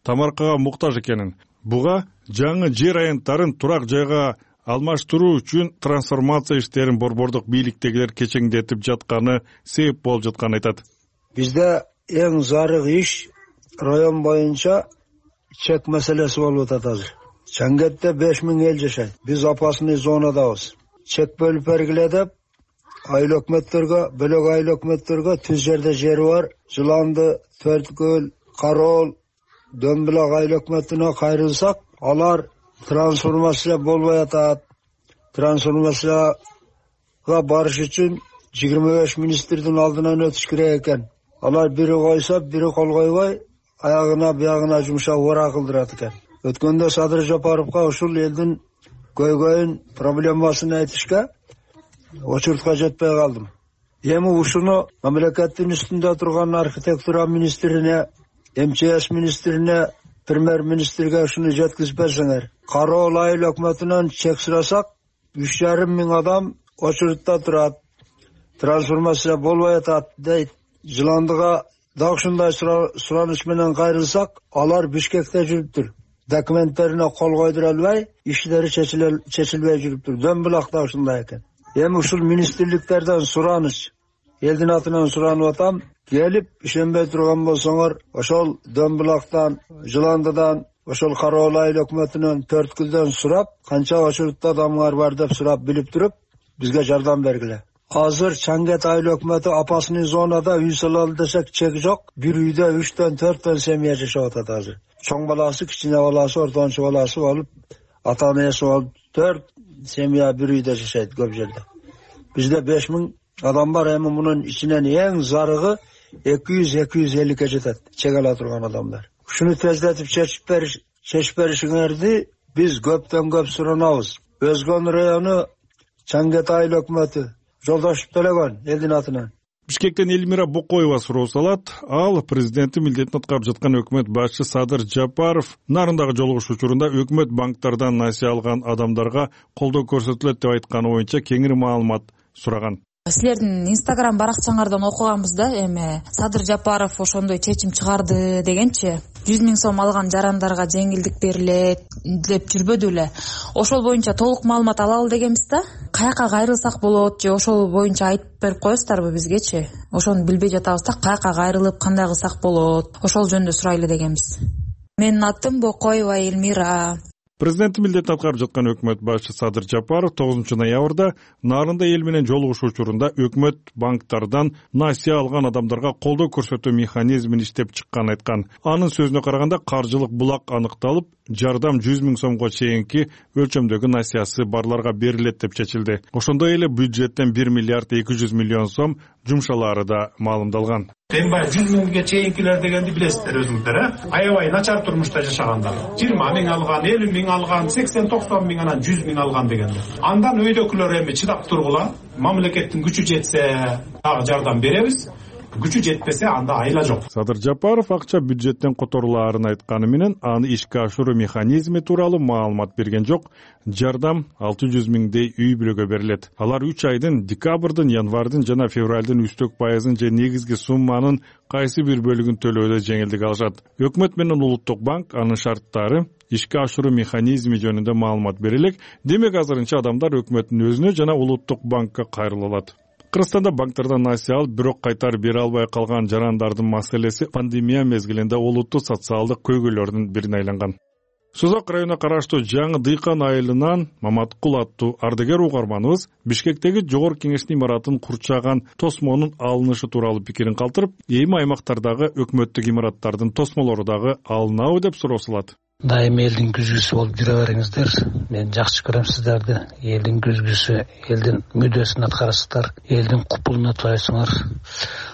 тамаркага муктаж экенин, буга жаңы жер аянттарын турак жайга алмаштыруу үчүн трансформация иштерин борбордук бийликтегилер кечеңдетип жатканы себеп болуп жатканын айтат. Бизде эң зарыл иш район боюнча чек маселеси болуп атат азыр. Чангетте беш миң эл жашайт. Биз опасный зонадабыз. Чек бөлүп бергиле деп айыл өкмөттөргө, бөлөк айыл өкмөттөргө түз жерде жери бар Жыланды, Төрткөл, Кароол, Дөмбүлак айыл өкмөтүнө кайрылсак, алар трансформация болбой атат. Трансформацияга барыш үчүн жыйырма беш министрдин алдынан өтүш керек экен. Алар бири койсо, бири кол койбой, аягына биягына жумшап ора кылдырат экен. Өткөндө Садыр Жапаровго ушул элдин көйгөйүн, проблемасын айтышка очуртка жетпей калдым. Эми ушуну мамлекеттин үстүндө турган архитектура министрине, эм че эс министрине, премьер-министрге ушуну жеткизип берсеңер. Кароол айыл өкмөтүнөн чек сурасак, үч жарым миң адам очурутта турат. Трансформация болбой атат дейт. Жыландыга дагы ушундай сураныш менен кайрылсак, алар Бишкекте жүрүптүр. Документтерине кол койдура албай, иштери чечилбей жүрүптүр. Дөмбүлакта ушундай экен. Эми ушул министрликтерден сураныш, элдин атынан суранып атам, келип ишенбей турган болсоңор, ошол Дөмбүлактан, Жыландыдан, ошол Кароол айыл өкмөтүнөн, Төрткүлдөн сурап, канча очурутта адамдар бар деп сурап билип туруп, бизге жардам бергиле. Азыр Чангет айыл өкмөтү опасный зонада үй салалы десек чек жок. Бир үйдө үчтөн төрттөн семья жашап атат азыр. Чоң баласы, кичине баласы, ортончу баласы болуп, ата энеси болуп төрт семья бир үйдө жашайт көп жерде. Бизде беш миң адам бар, эми мунун ичинен эң зарыгы эки жүз эки жүз элүүгө жетет чек ала турган адамдар. Ушуну тездетип чечип бериш, чечип беришиңерди биз көптөн көп суранабыз. Өзгөн району Чангет айыл өкмөтү Жолдошов Төлөгөн элдин атынан. Бишкектен Элмира Бокоева суроо салат. Ал президенттин милдетин аткарып жаткан өкмөт башчы Садыр Жапаров нарындагы жолугуш учурунда өкмөт банктардан насыя алган адамдарга колдоо көрсөтүлөт деп айтканы боюнча кеңири маалымат сураган. Силердин Инстаграм баракчаңардан окуганбыз да, эми Садыр Жапаров ошондой чечим чыгарды дегенчи. жүз миң сом алган жарандарга жеңилдик берилет деп жүрбөдү эле. Ошол боюнча толук маалымат алалы дегенбиз да. Каяка кайрылсак болот же ошол боюнча айтып берип коесуздарбы бизгечи? Ошону билбей жатабыз да, каяка кайрылып кандай кылсак болот? Ошол жөнүндө сурайлы дегенбиз. Менин атым Бокоева Элмира. Президенттин милдетин аткарып жаткан өкмөт башчы Садыр Жапаров тогузунчу ноябрда нарында эл менен жолугуш учурунда өкмөт банктардан насыя алган адамдарга колдоо көрсөтүү механизмин иштеп чыкканын айткан. Анын сөзүнө караганда каржылык булак аныкталып, жардам жүз миң сомго чейинки өлчөмдөгү насыясы барларга берилет деп чечилди. Ошондой эле бюджеттен бир миллиард эки жүз миллион сом жумшалары да маалымдалган. Эми баягы жүз миңге чейинкилер дегенди билесиздер өзүңүздөр, э? Аябай начар турмушта жашагандар. жыйырма миң алган, элүү миң алган, сексен токсон миң анан жүз миң алган дегендер. Андан өйдөкүлөр эми чыдап тургула, мамлекеттин күчү жетсе дагы жардам беребиз. Күчү жетпесе анда айла жок. Садыр Жапаров акча бюджеттен которулаарын айтканы менен аны ишке ашыруу механизми тууралуу маалымат берген жок. Жардам алты жүз миңдей үй бүлөгө берилет. Алар үч айдын декабрдын, январдын жана февралдын үстөк пайызын же негизги сумманын кайсы бир бөлүгүн төлөөдө жеңилдик алышат. Өкмөт менен Улуттук банк анын шарттары, ишке ашыруу механизми жөнүндө маалымат берилек. Демек азырынча адамдар өкмөттүн өзүнө жана Улуттук банкка кайрыла алат. Кыргызстанда банктардан насыя алып, бирок кайтарып бере албай калган жарандардын маселеси пандемия мезгилинде олуттуу социалдык көйгөйлөрдүн бирине айланган. Созак районуна караштуу жаңы Дыйкан айылынан Маматкул аттуу ардагер угарманыбыз Бишкектеги Жогорку Кеңештин имаратын курчаган тосмонун алынышы тууралуу пикирин калтырып, эми аймактардагы өкмөттүк имараттардын тосмолору дагы алынабы деп суроо салат. Дайым элдин күзгүсү болуп жүрө бериңиздер. Мен жакшы көрөм сиздерди. Элдин күзгүсү, элдин мүддөсүн аткарасыздар, элдин купулун атпайсыңар.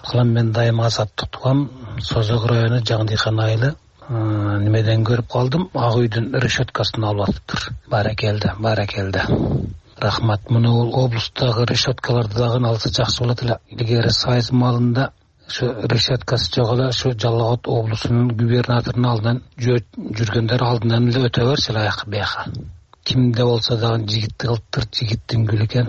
Кылам мен дайым азаттык тугам. Созок району Жаңы Дыйкан айылы. Немеден көрүп калдым, ак үйдүн решеткасын алып атыптыр. Баракелде, баракелде. Рахмат. Муну облустагы решеткаларды дагы алса жакшы болот эле. Илгери Сайыз малында şu решеткасы жок эле, şu Жалал Абад облусунун губернаторунун алдынан жүргөндөр алдынан эле өтө берсе аяк бияка. кимде болсо дагы жигитти кылыптыр, жигиттин гүлү экен.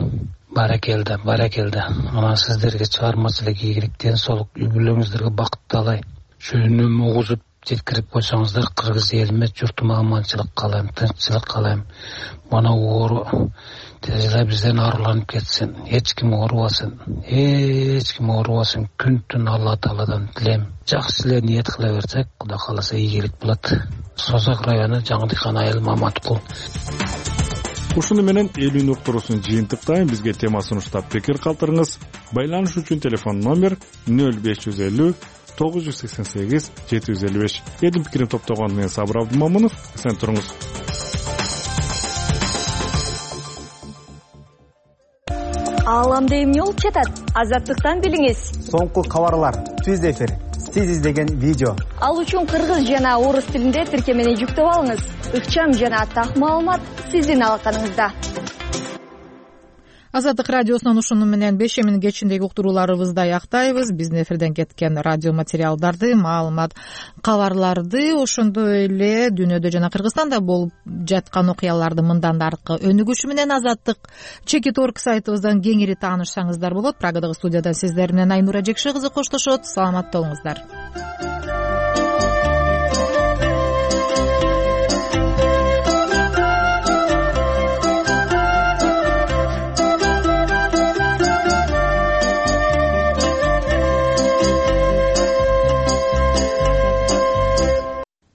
Баракелде, баракелде. Анан сиздерге чыгармачылык ийгилик, ден соолук, үй бүлөңүздөргө бакыт таалайм. Шөнүм угузуп жеткирип койсоңуздар, кыргыз элиме, журтума аманчылык каалайм, тынччылык каалайм. Мана оору тез эле бизден арыланып кетсин. Эч ким оорубасын, эч ким оорубасын. Күн түн Алла Тааладан тилейм. Жакшы эле ниет кыла берсек, Кудай кааласа ийгилик болот. Созак району Жаңы Дыйкан айыл Маматкул. Ушуну менен элүүнү уктуруусун жыйынтыктайм. Бизге тема сунуштап пикир калтырыңыз. Байланыш үчүн телефон номер нөл беш жүз элүү тогуз жүз сексен сегиз жети жүз элүү беш. Элдин пикирин топтогон мен Сабыр Абдымамынов. Сен туруңуз. Ааламда эмне болуп жатат? Азаттыктан билиңиз. Соңку кабарлар, түз эфир, сиз издеген видео. Ал үчүн кыргыз жана орус тилинде тиркемени жүктөп алыңыз. Ыкчам жана так маалымат сиздин алаканыңызда. Азаттык радиосунун ушуну менен бешеминин кечиндеги уктурууларыбызды аяктайбыз. Биздин эфирден кеткен радио материалдарды, маалымат, кабарларды, ошондой эле дүйнөдө жана Кыргызстанда болуп жаткан окуяларды мындан да аркы өнүгүшү менен Азаттык чекит точка орг сайтыбыздан кеңири таанышсаңыздар болот. Прагадагы студиядан сиздер менен Айнура Жекши кызы коштошот. Саламатта болуңуздар.